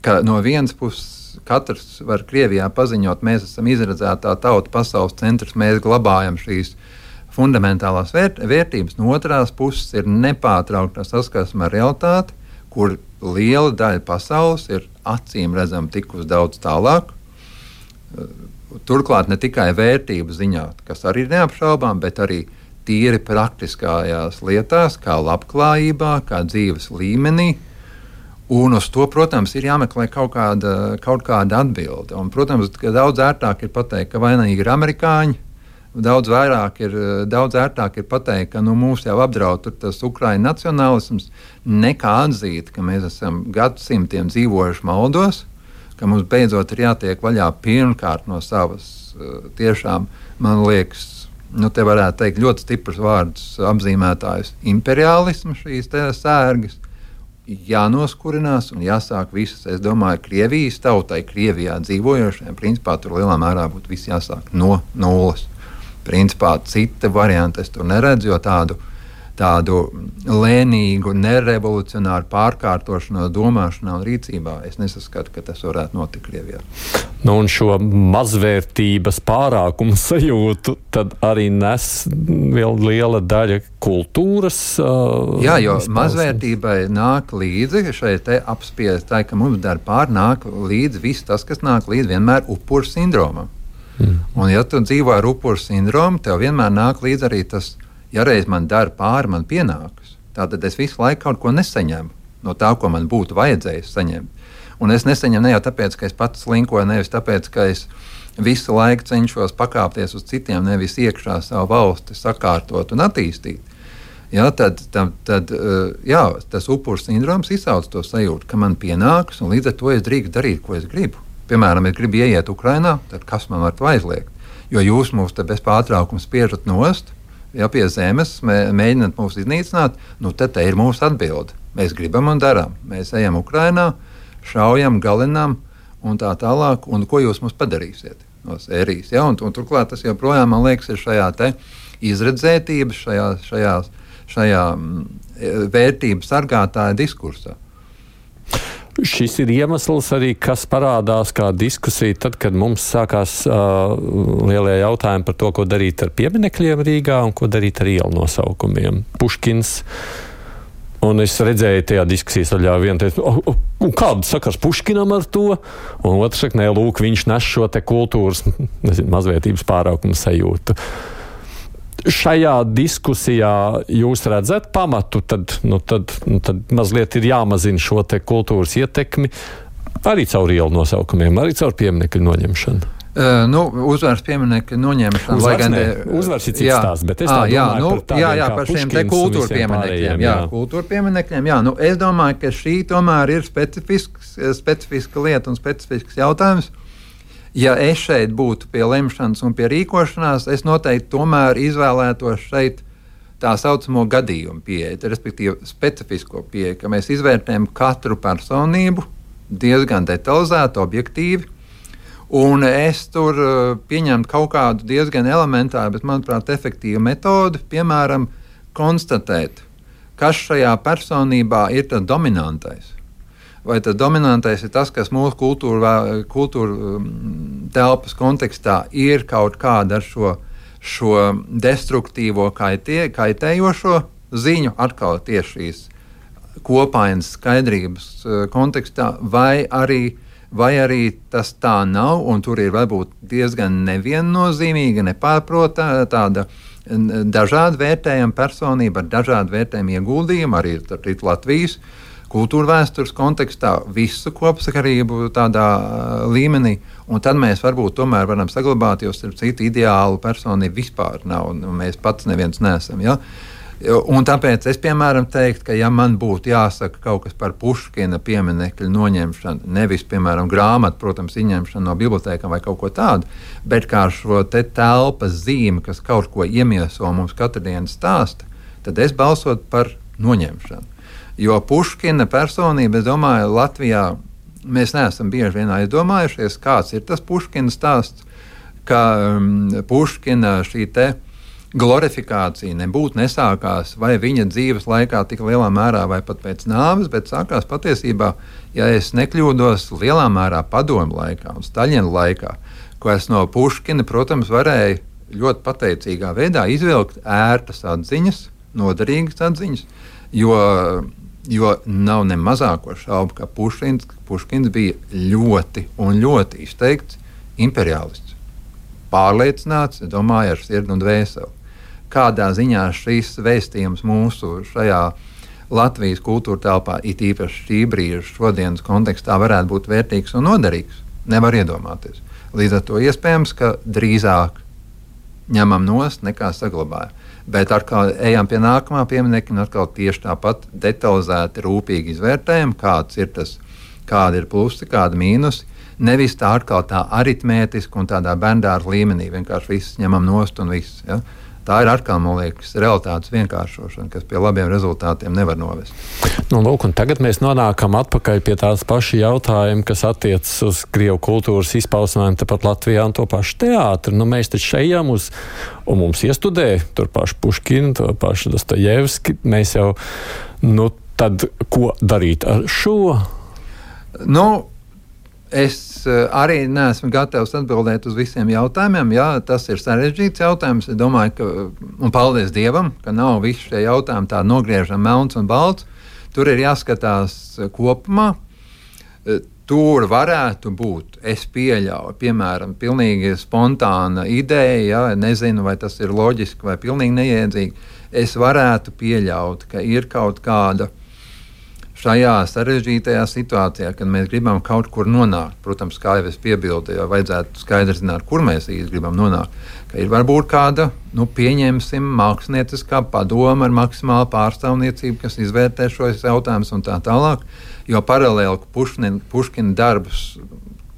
ka no vienas puses katrs var Krievijā paziņot, mēs esam izredzētā tauta, pasaules centrs, mēs glabājam šīs fundamentālās vērtības, no otrās puses ir nepārtraukta saskarsme ar realitāti, kur liela daļa pasaules ir acīm redzam tikus daudz tālāk. Turklāt ne tikai vērtību ziņā, kas arī ir neapšaubām, bet arī tīri praktiskajās lietās, kā labklājībā, kā dzīves līmenī. Un uz to, protams, ir jāmeklē kaut kāda atbilde. Un, protams, ka daudz ērtāk ir pateikt, ka vainīgi ir amerikāņi. Daudz ērtāk ir pateikt, ka mūs jau apdraud tas Ukraiņu nacionālisms, nekā atzīt, ka mēs esam gadsimtiem dzīvojuši maldos, ka mums beidzot ir jātiek vaļā pirmkārt no savas tiešām, man liekas, te varētu teikt ļoti stiprs vārds apzīmētājs imperiālismu šīs sērgas, jānoskurinās un jāsāk visas, es domāju, Krievijas tautai, Krievijā dzīvojošiem, principā tur lielā mērā būtu viss jāsāk no nulles. Principā cita varianta es tur neredzu, jo tādu lēnīgu, nerevolucionāru pārkārtošanos domāšanā un rīcībā es nesaskatu, ka tas varētu notikt Krievijā. Un šo mazvērtības pārākumu sajūtu tad arī nes vēl liela daļa kultūras. Jā, jo mazvērtībai nāk līdzi šeit apspiestai, ka mums dar nāk līdzi viss tas, kas nāk līdzi vienmēr upuru sindromam. Un ja tu dzīvo ar upuru sindromu, tev vienmēr nāk līdzi arī tas, ja reiz man dara pāri, man pienākas. Tātad es visu laiku kaut ko nesaņemu no tā, ko man būtu vajadzējis saņemt. Un es nesaņemu ne jau tāpēc, ka es pats slinkoju, nevis tāpēc, ka es visu laiku cenšos pakāpties uz citiem, nevis iekšā savu valsti sakārtot un attīstīt. Ja, tad tas upuru sindroms izsauc to sajūtu, ka man pienākas, un līdz ar to es drīkstu darīt, ko es gribu. Piemēram, es gribu ieiet Ukrainā, tad kas man var to aizliegt? Jo jūs mūs te bez pārtraukuma spiežat nost, ja pie zemes mēģināt mūs iznīcināt, tad te ir mūsu atbilde. Mēs gribam un darām. Mēs ejam Ukrainā, šaujam, galinām un tā tālāk. Un ko jūs mums padarīsiet no sērijas? Ja? Un turklāt tas joprojām, man liekas, ir šajā te izredzētības, šajā vērtību sargātāja diskursā. Šis ir iemesls arī, kas parādās kā diskusija tad, kad mums sākās lielie jautājumi par to, ko darīt ar pieminekļiem Rīgā un ko darīt ar ielu nosaukumiem. Puškins, un es redzēju tajā diskusijas daļā vienu teicu, kāda sakars Puškinam ar to? Un otrs saka, nē, lūk, viņš nes šo te kultūras, mazvērtības pārākumu sajūtu. Šajā diskusijā jūs redzat pamatu, tad mazliet ir jāmazina šo te kultūras ietekmi arī caur ielu nosaukumiem, arī caur pieminekļu noņemšanu. Uzvaras pieminekļu noņemšanu. Uzvaras ir cits stāsts, bet es tā domāju par tādiem par šiem te kultūra pieminekļiem. Kultūra pieminekļiem, es domāju, ka šī tomēr ir specifiska lieta un specifisks jautājums. Ja es šeit būtu pie lemšanas un pie rīkošanās, es noteikti tomēr izvēlētos šeit tā saucamo gadījumu pieeju, respektīvi specifisko pieeju, ka mēs izvērtējam katru personību diezgan detalizēti, objektīvi, un es tur pieņemtu kaut kādu diezgan elementāru, bet, manuprāt, efektīvu metodi, piemēram, konstatēt, kas šajā personībā ir tas dominantais. Vai tas dominantais ir tas, kas mūsu kultūra telpas kontekstā ir kaut kāda ar šo destruktīvo kaitējošo ziņu, atkal tieši šīs kopainas skaidrības kontekstā, vai arī tas tā nav, un tur ir varbūt diezgan neviennozīmīga, nepārprotama tāda dažādi vērtējama personība ar dažādu vērtējumu ieguldījumu, arī Latvijas kultūra vēstures kontekstā, visu kopsakarību tādā līmenī, un tad mēs varbūt tomēr varam saglabāt, jo starp citu ideālu personību vispār nav, un mēs pats neviens neesam. Ja? Un tāpēc es, piemēram, teiktu, ka ja man būtu jāsaka kaut kas par Puškina pieminekļu noņemšanu, nevis, piemēram, grāmatu, protams, izņemšanu no bibliotēkām vai kaut ko tādu, bet kā šo te telpas zīmi, kas kaut ko iemieso mums katru dienu stāsta, tad es balsotu par noņemšanu. Jo Puškina personība, es domāju, Latvijā mēs neesam bieži vien aizdomājušies, kāds ir tas Puškina stāsts, ka Puškina šī te glorifikācija nebūtu nesākās vai viņa dzīves laikā tik lielā mērā vai pat pēc nāves, bet sākās patiesībā, ja es nekļūdos, lielā mērā padomu laikā un Staļina laikā, ko es no Puškina, protams, varēju ļoti pateicīgā veidā izvilkt ērtas atziņas, noderīgas atziņas, jo nav ne mazāko šaubu, ka Puškins bija ļoti un ļoti izteikts imperialists. Pārliecināts, domāju, ar sirdi un dvēseli. Kādā ziņā šis vēstījums mūsu šajā Latvijas kultūra telpā, it īpaši šī brīža šodienas kontekstā, varētu būt vērtīgs un noderīgs, nevar iedomāties. Līdz ar to iespējams, ka drīzāk ņemam nost nekā saglabājam. Bet atkal ejam pie nākamā pieminekļa un atkal tieši tāpat detalizēti, rūpīgi izvērtējam, kādi ir plusi, kādi mīnusi. Nevis tā atkal tā aritmētiski un tādā bērndārza līmenī, vienkārši viss ņemam nost un viss. Ja? Tā ir atkal, man liekas, realitātes vienkāršošana, kas pie labiem rezultātiem nevar novest. Lūk, un tagad mēs nonākam atpakaļ pie tās paša jautājuma, kas attiecas uz Krievu kultūras izpausmēm tepat Latvijā un to pašu teātri. Mēs taču ejam uz, un mums iestudē tur pašu Puškinu, to pašu Dostojevski. Mēs jau, tad ko darīt ar šo? Es arī neesmu gatavs atbildēt uz visiem jautājumiem. Jā, tas ir sarežģīts jautājums. Es domāju, ka, un paldies Dievam, ka nav visi šie jautājumi tā nogriežam melns un balts. Tur ir jāskatās kopumā. Tur varētu būt, es pieļauju, piemēram, pilnīgi spontāna ideja, ja, nezinu, vai tas ir loģiski vai pilnīgi neiedzīgi. Es varētu pieļaut, ka ir kaut kāda šajā sarežģītajā situācijā, kad mēs gribam kaut kur nonākt, protams, kā jau es piebildu, jo vajadzētu skaidri zināt, kur mēs īsti gribam nonākt, ka ir varbūt kāda, pieņemsim, mākslinieckā padoma ar maksimālu pārstāvniecību, kas izvērtē šos jautājumus un tā tālāk, jo paralēli Puškina darbus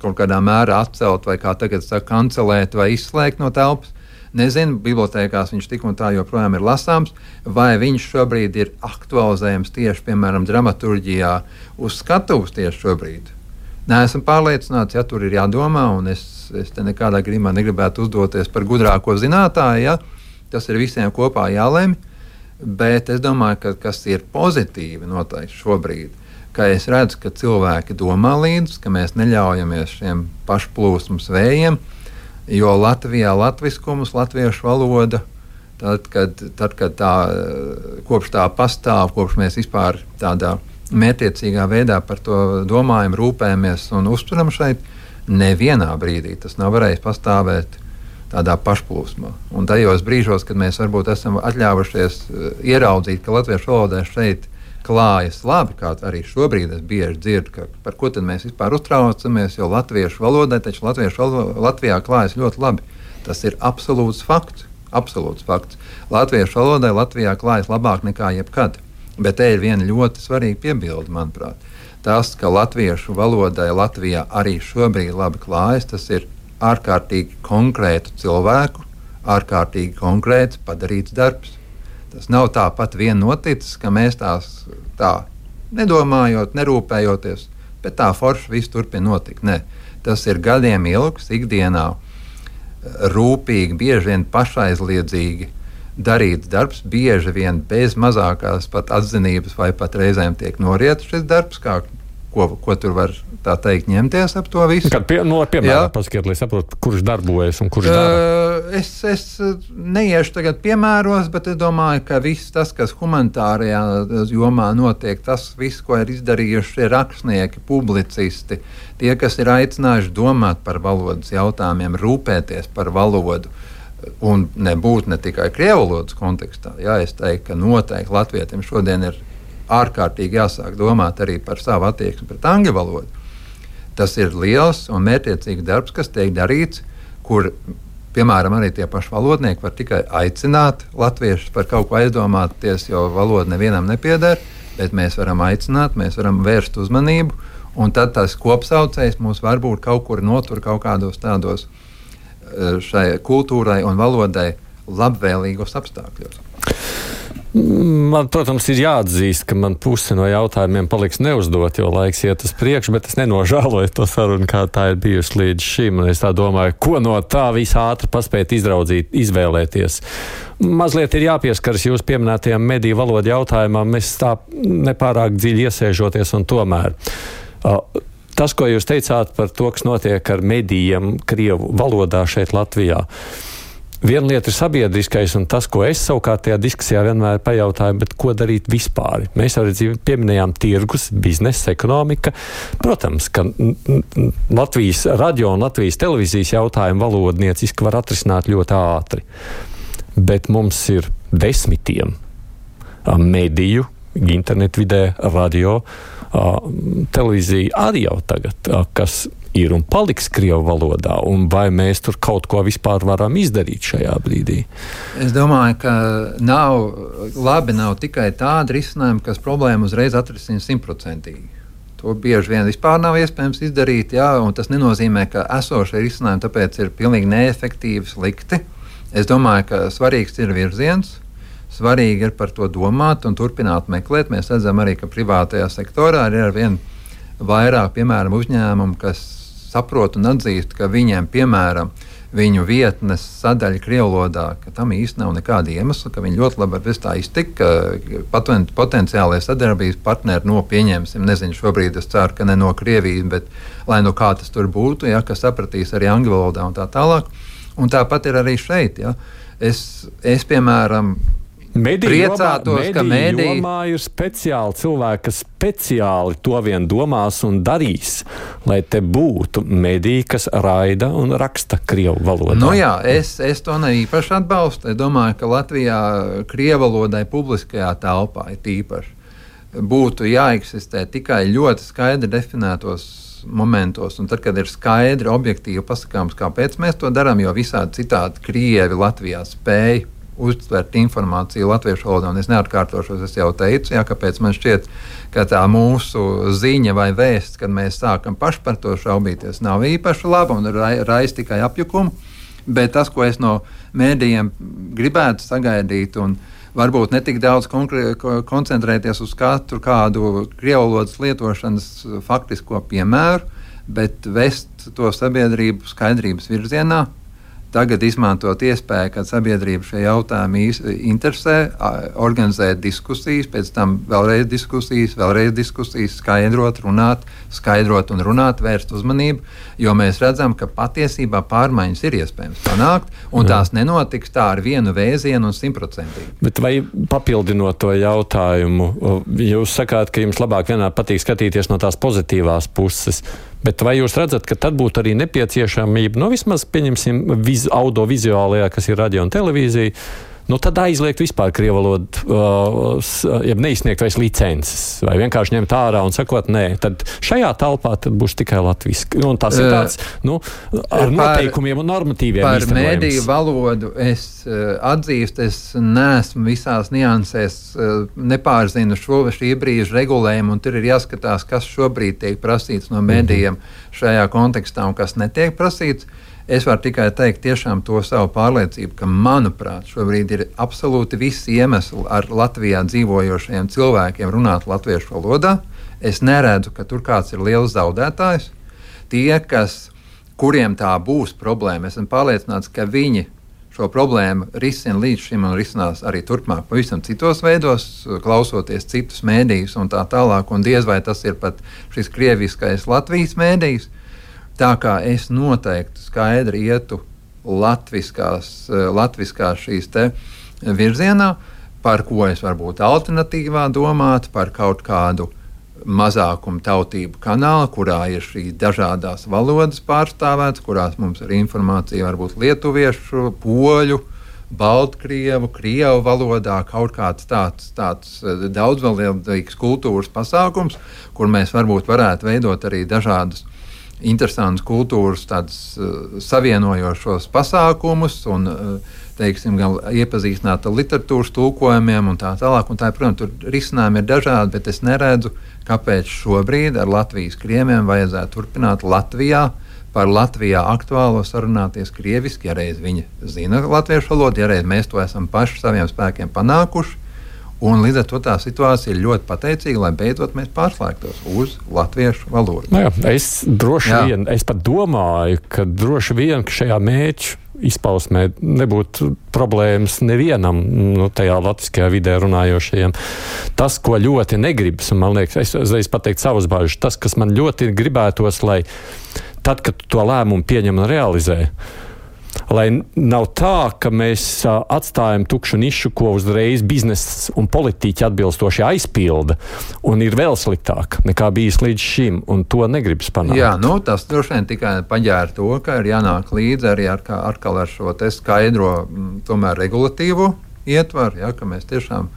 kaut kādā mērā atcelt vai, kā tagad saka, kancelēt vai izslēgt no telpas. Nezinu, bibliotēkās viņš tik un tā joprojām ir lasāms, vai viņš šobrīd ir aktualizējams tieši, piemēram, dramaturģijā uz skatuves tieši šobrīd. Neesmu pārliecināts, ja tur ir jādomā, un es te nekādā gadījumā negribētu uzdoties par gudrāko zinātāju, ja tas ir visiem kopā jālemj, bet es domāju, ka kas ir pozitīvi noteikti šobrīd, ka es redzu, ka cilvēki domā līdzi, ka mēs neļaujamies šiem pašplūsmas vējiem, jo Latvijā latviskums, latviešu valoda, tad, kad tā, kopš tā pastāv, kopš mēs vispār tādā mērķiecīgā veidā par to domājam, rūpējamies un uzturam šeit, nevienā brīdī tas nav varējis pastāvēt tādā pašplūsmā. Un tajos brīžos, kad mēs varbūt esam atļāvušies ieraudzīt, ka latviešu valodē šeit klājas labi, kā arī šobrīd es bieži dzirdu, par ko tad mēs vispār uztraucamies, jo latviešu valodai taču Latvijā klājas ļoti labi. Tas ir absolūts fakts. Latviešu valodai Latvijā klājas labāk nekā jebkad. Bet te ir viena ļoti svarīga piebilde, manuprāt. Tas, ka latviešu valodai Latvijā arī šobrīd labi klājas, tas ir ārkārtīgi konkrētu cilvēku, ārkārtīgi konkrēts padarīts darbs. Tas nav tāpat vien noticis, ka mēs tā nedomājot, nerūpējoties, bet tā forši viss turpina notikt. Nē, tas ir gadiem ilgs, ikdienā rūpīgi, bieži vien pašaizliedzīgi darīts darbs, bieži vien bez mazākās pat atzinības vai pat reizēm tiek noriets šis darbs, ko tur var tā teikt ņemties ap to visu. Piemēram, paskiet, lai saprotu, kurš darbojas un kurš dara. Es neiešu tagad piemēros, bet es domāju, ka viss tas, kas humanitārajā jomā notiek, tas viss, ko ir izdarījuši rakstnieki, publicisti, tie, kas ir aicinājuši domāt par valodas jautājumiem, rūpēties par valodu, un nebūt ne tikai krievu valodas kontekstā. Jā, es teiktu, ka noteikti latvietim šodien ir ārkārtīgi jāsāk domāt arī par savu attieksmi pret angļu valodu. Tas ir liels un mērķiecīgs darbs, kas tiek darīts, kur, piemēram, arī tie paši valodnieki var tikai aicināt latviešus par kaut ko aizdomāties, jo valoda nevienam nepieder, bet mēs varam aicināt, mēs varam vērst uzmanību, un tad tas kopsaucējs mūs varbūt kaut kur notur kaut kādos tādos šai kultūrai un valodai labvēlīgos apstākļos. Man, protams, ir jāatzīst, ka man puse no jautājumiem paliks neuzdot, jo laiks iet uz priekšu, bet es nenožēloju to sarunu, kā tā ir bijusi līdz šim. Un es tā domāju, ko no tā visā ātri paspēt izraudzīt, izvēlēties. Mazliet ir jāpieskaras jūs pieminētajām mediju valodu jautājumam, mēs tā nepārāk dziļi iesēžoties un tomēr. Tas, ko jūs teicāt par to, kas notiek ar medijiem krievu valodā šeit Latvijā. Viena lieta ir sabiedriskais, un tas, ko es savukārt tajā diskusijā vienmēr pajautāju, bet ko darīt vispār? Mēs arī pieminējām tirgus, biznesa, ekonomika. Protams, ka Latvijas radio un Latvijas televīzijas jautājumu valodnieciski var atrisināt ļoti ātri. Bet mums ir desmitiem mediju, internetvidē, radio, televīzija arī jau tagad, kas ir un paliks krievu valodā, un vai mēs tur kaut ko vispār varam izdarīt šajā brīdī? Es domāju, ka nav tikai tāda risinājuma, kas problēmu uzreiz atrisina 100%. To bieži vien vispār nav iespējams izdarīt, jā, un tas nenozīmē, ka esošie risinājumi tāpēc ir pilnīgi neefektīvi, slikti. Es domāju, ka svarīgs ir virziens, svarīgi ir par to domāt un turpināt meklēt. Mēs redzam arī, ka privātajā sektorā ir arvien vairāk, piemēram, uzņēmumu, kas saprot un atzīst, ka viņiem, piemēram, viņu vietnes sadaļa krievlodā, ka tam īsti nav nekāda iemesla, ka viņi ļoti labi var bez tā iztikt, ka potenciālie sadarbības partneri pieņemsim, nezinu, šobrīd es ceru, ka ne no Krievijas, bet lai no kā tas tur būtu, ja, kas sapratīs arī angļu valodā un tā tālāk. Un tāpat ir arī šeit. Ja. Es piemēram, priecātos, ka mediju jomā ir speciāli cilvēki, kas speciāli to vien domās un darīs, lai te būtu mediji, kas raida un raksta krievu valodā. Nu jā, es to ne īpaši atbalstu. Es domāju, ka Latvijā krievu valodai publiskajā telpā ir tīpaši būtu jāeksistē tikai ļoti skaidri definētos momentos, un tad, kad ir skaidri, objektīvi pasakāms, kāpēc mēs to darām, jo visādi citādi krievi Latvijā spēj uztvert informāciju latviešu valodā, un es neatkārtošos, es jau teicu, jā, kāpēc man šķiet, ka tā mūsu ziņa vai vēsts, kad mēs sākam paši par to šaubīties, nav īpaši laba un raisa tikai apjukumu, bet tas, ko es no mēdījiem gribētu sagaidīt, un varbūt ne tik daudz koncentrēties uz katru kādu krievu valodas lietošanas faktisko piemēru, bet vest to sabiedrību skaidrības virzienā. Tagad izmantot iespēju, kad sabiedrība šie jautājumi interesē, organizēt diskusijas, pēc tam vēlreiz diskusijas, skaidrot un runāt, vērst uzmanību, jo mēs redzam, ka patiesībā pārmaiņas ir iespējams panākt, un tās nenotiks tā ar vienu vēzienu un 100%. Bet vai papildinot to jautājumu, jūs sakāt, ka jums labāk vienmēr patīk skatīties no tās pozitīvās puses, bet vai jūs redzat, ka tad būtu arī nepieciešamība, vismaz pieņemsim audiovizuālajā, kas ir radio un televīzija, tad aizliegt vispār krievu valodu, ja neizsniegt vairs licences, vai vienkārši ņemt ārā un sakot, nē, tad šajā telpā tad būs tikai latviski. Un tas ir tāds, ar noteikumiem un normatīviem par īstenojums. Par mediju valodu es atzīstu, es neesmu visās niansēs, nepārzinu šī brīža regulējumu, un tur ir jāskatās, kas šobrīd tiek prasīts no medijiem šajā kontekstā un kas netiek prasīts. Es varu tikai teikt tiešām to savu pārliecību, ka, manuprāt, šobrīd ir absolūti visi iemesli ar Latvijā dzīvojošajiem cilvēkiem runāt latviešu valodā. Es neredzu, ka tur kāds ir liels zaudētājs. Tie, kuriem tā būs problēma, esmu pārliecināts, ka viņi šo problēmu risina līdz šim un risinās arī turpmāk pavisam citos veidos, klausoties citus mēdījus un tā tālāk, un diez vai tas ir pat šis krieviskais Latvijas mēdījis. Tā kā es noteikti skaidri ietu latviskās šīs te virzienā, par ko es varbūt alternatīvā domāt, par kaut kādu mazākumu tautību kanālu, kurā ir šīs dažādās valodas pārstāvētas, kurās mums ir informācija varbūt lietuviešu, poļu, baltkrievu, krievu valodā, kaut kāds tāds daudzvalodīgs kultūras pasākums, kur mēs varbūt varētu veidot arī dažādus interesantus kultūras savienojošos pasākumus un, teiksim, gan iepazīstināt ar literatūras tulkojumiem un tā tālāk. Un tā, protams, tur risinājumi ir dažādi, bet es neredzu, kāpēc šobrīd ar Latvijas krieviem vajadzētu turpināt Latvijā par Latvijā aktuālo sarunāties krieviski, ja reiz viņi zina latviešu valodu, ja reiz mēs to esam paši saviem spēkiem panākuši. Un līdz ar to tā situācija ir ļoti pateicīga, lai beidzot mēs pārslēgtos uz latviešu valodu. Jā, es pat domāju, ka droši vien šajā mērķu izpausmē nebūtu problēmas nevienam tajā latviskajā vidē runājošajiem. Tas, ko ļoti negribas, un man liekas, es uzreiz pateiktu savas bāžas, tas, kas man ļoti gribētos, lai tad, kad to lēmumu pieņem un realizē, lai nav tā, ka mēs atstājam tukšu nišu, ko uzreiz bizness un politiķi atbilstoši aizpilda, un ir vēl sliktāk nekā bijis līdz šim, un to negribas panākt. Jā, tas droši vien tikai paģēra to, ka ir jānāk līdzi arī atkal ar šo te skaidro, tomēr regulatīvo ietvaru, ja, ka mēs tiešām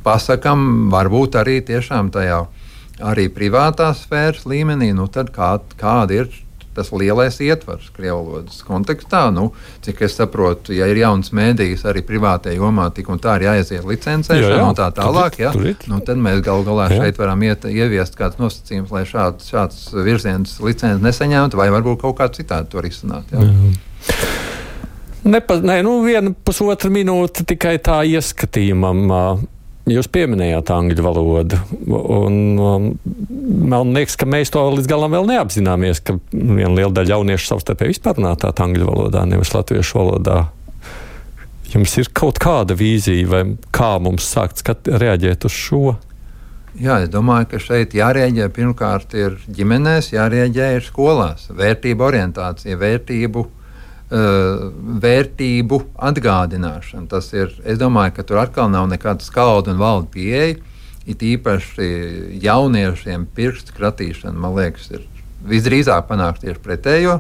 pasakam, varbūt arī tiešām tajā arī privātās sfēras līmenī, tad kāda ir tas lielais ietvars krievvalodas kontekstā. Cik es saprotu, ja ir jauns mēdījis arī privātajā jomā, tik un tā ir jāaiziet licencēšana un tā tālāk, tad mēs galu galā šeit varam ieviest kāds nosacījums, lai šāds virziens licences nesaņemtu, vai varbūt kaut kā citādi to risināt. Viena pusotra minūte tikai tā ieskatījumam. Jūs pieminējāt angļu valodu, un man liekas, ka mēs to līdz galam vēl neapzināmies, ka viena liela daļa jauniešu savstarpēji vispār runā tā angļu valodā, nevis latviešu valodā. Jums ir kaut kāda vīzija, vai kā mums sākt reaģēt uz šo? Jā, es domāju, ka šeit jārēģē pirmkārt ir ģimenēs, jārēģē ir skolās. Vērtību orientācija, vērtību atgādināšana. Tas ir, es domāju, ka tur atkal nav nekāda skalda un valda pieeja. It īpaši jauniešiem pirkstu kratīšana, man liekas, ir visdrīzāk panākt tieši pretējo.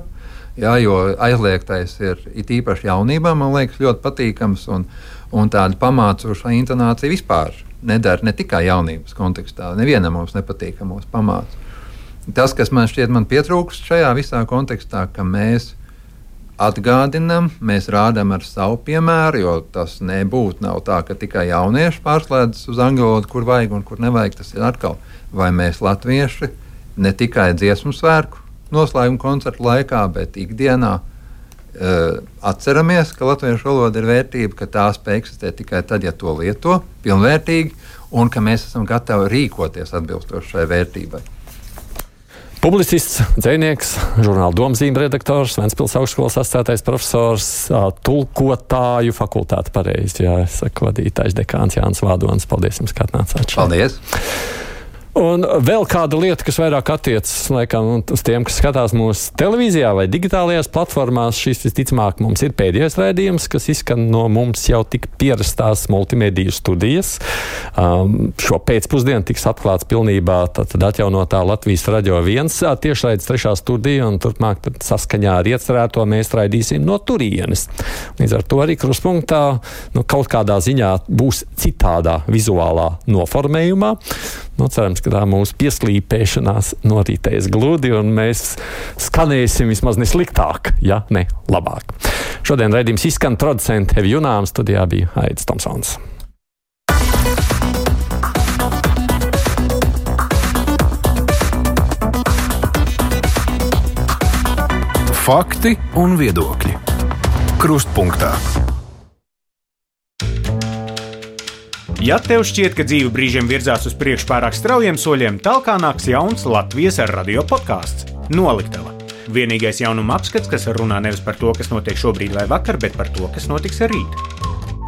Jā, jo aizliegtais ir it īpaši jaunībā, man liekas, ļoti patīkams, un tāda pamācoša intonācija vispār nedara ne tikai jaunības kontekstā. Nevienam mums nepatīkamos pamāc. Tas, kas man šķiet pietrūkst šajā visā kontekstā, ka mēs atgādinam, mēs rādām ar savu piemēru, jo tas nav tā, ka tikai jaunieši pārslēdzas uz angļu valodu, kur vajag un kur nevajag. Tas ir atkal, vai mēs latvieši ne tikai dziesmu svētku noslēguma koncertu laikā, bet ikdienā atceramies, ka latviešu valoda ir vērtība, ka tā spēj eksistēt tikai tad, ja to lieto pilnvērtīgi, un ka mēs esam gatavi rīkoties atbilstoši šai vērtībai. Publicists, dzejnieks, žurnāla Domzīme redaktors, Ventspils augstskolas asociētais profesors, tulkotāju fakultāte pareizi, vadītājs dekāns Jānis Vādonis. Paldies jums, ka atnācāt šeit. Paldies! Un vēl kāda lieta, kas vairāk attiecas laikam uz tiem, kas skatās mūsu televīzijā vai digitālajās platformās, šis visticamāk mums ir pēdējais raidījums, kas izskan no mums jau tik pierastās multimediju studijas. Šo pēcpusdienu tiks atklāts pilnībā tad atjaunotā Latvijas Radio 1 tiešraides 3. studija, un turpmāk saskaņā ar iecerēto mēs raidīsim no turienes. Līdz ar to arī Kruspunktā kaut kādā ziņā būs citādā vizuālā noformējumā. Cerams, ka tā mūsu pieslīpēšanās noritēs gludi, un mēs skanēsim vismaz nesliktāk, ja ne labāk. Šodien raidījums izskan, producents Evi Junāms, studijā bija Aidis Tomsons. Fakti un viedokļi. Krustpunktā. Ja tev šķiet, ka dzīve brīžiem virzās uz priekšu pārāk straujiem soļiem, tālāk nāks jauns Latvijas radio podkāsts Noliktava. Vienīgais jaunuma apskats, kas runā nevis par to, kas notiek šobrīd vai vakar, bet par to, kas notiks rīt.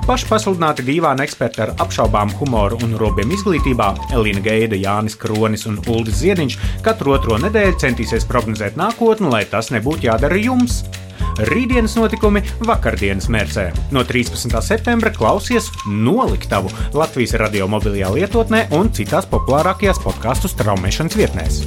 Paši pasludināti dīvāni eksperti ar apšaubām humoru un robiem izglītībā Elīna Geida, Jānis Kronis un Uldis Ziediņš katru otro nedēļu centīsies prognozēt nākotni, lai tas nebūtu jādara jums. Rītdienas notikumi vakardienas mērcē. No 13. septembra klausies Noliktavu Latvijas radio mobilajā lietotnē un citās populārākajās podkastu straumēšanas vietnēs.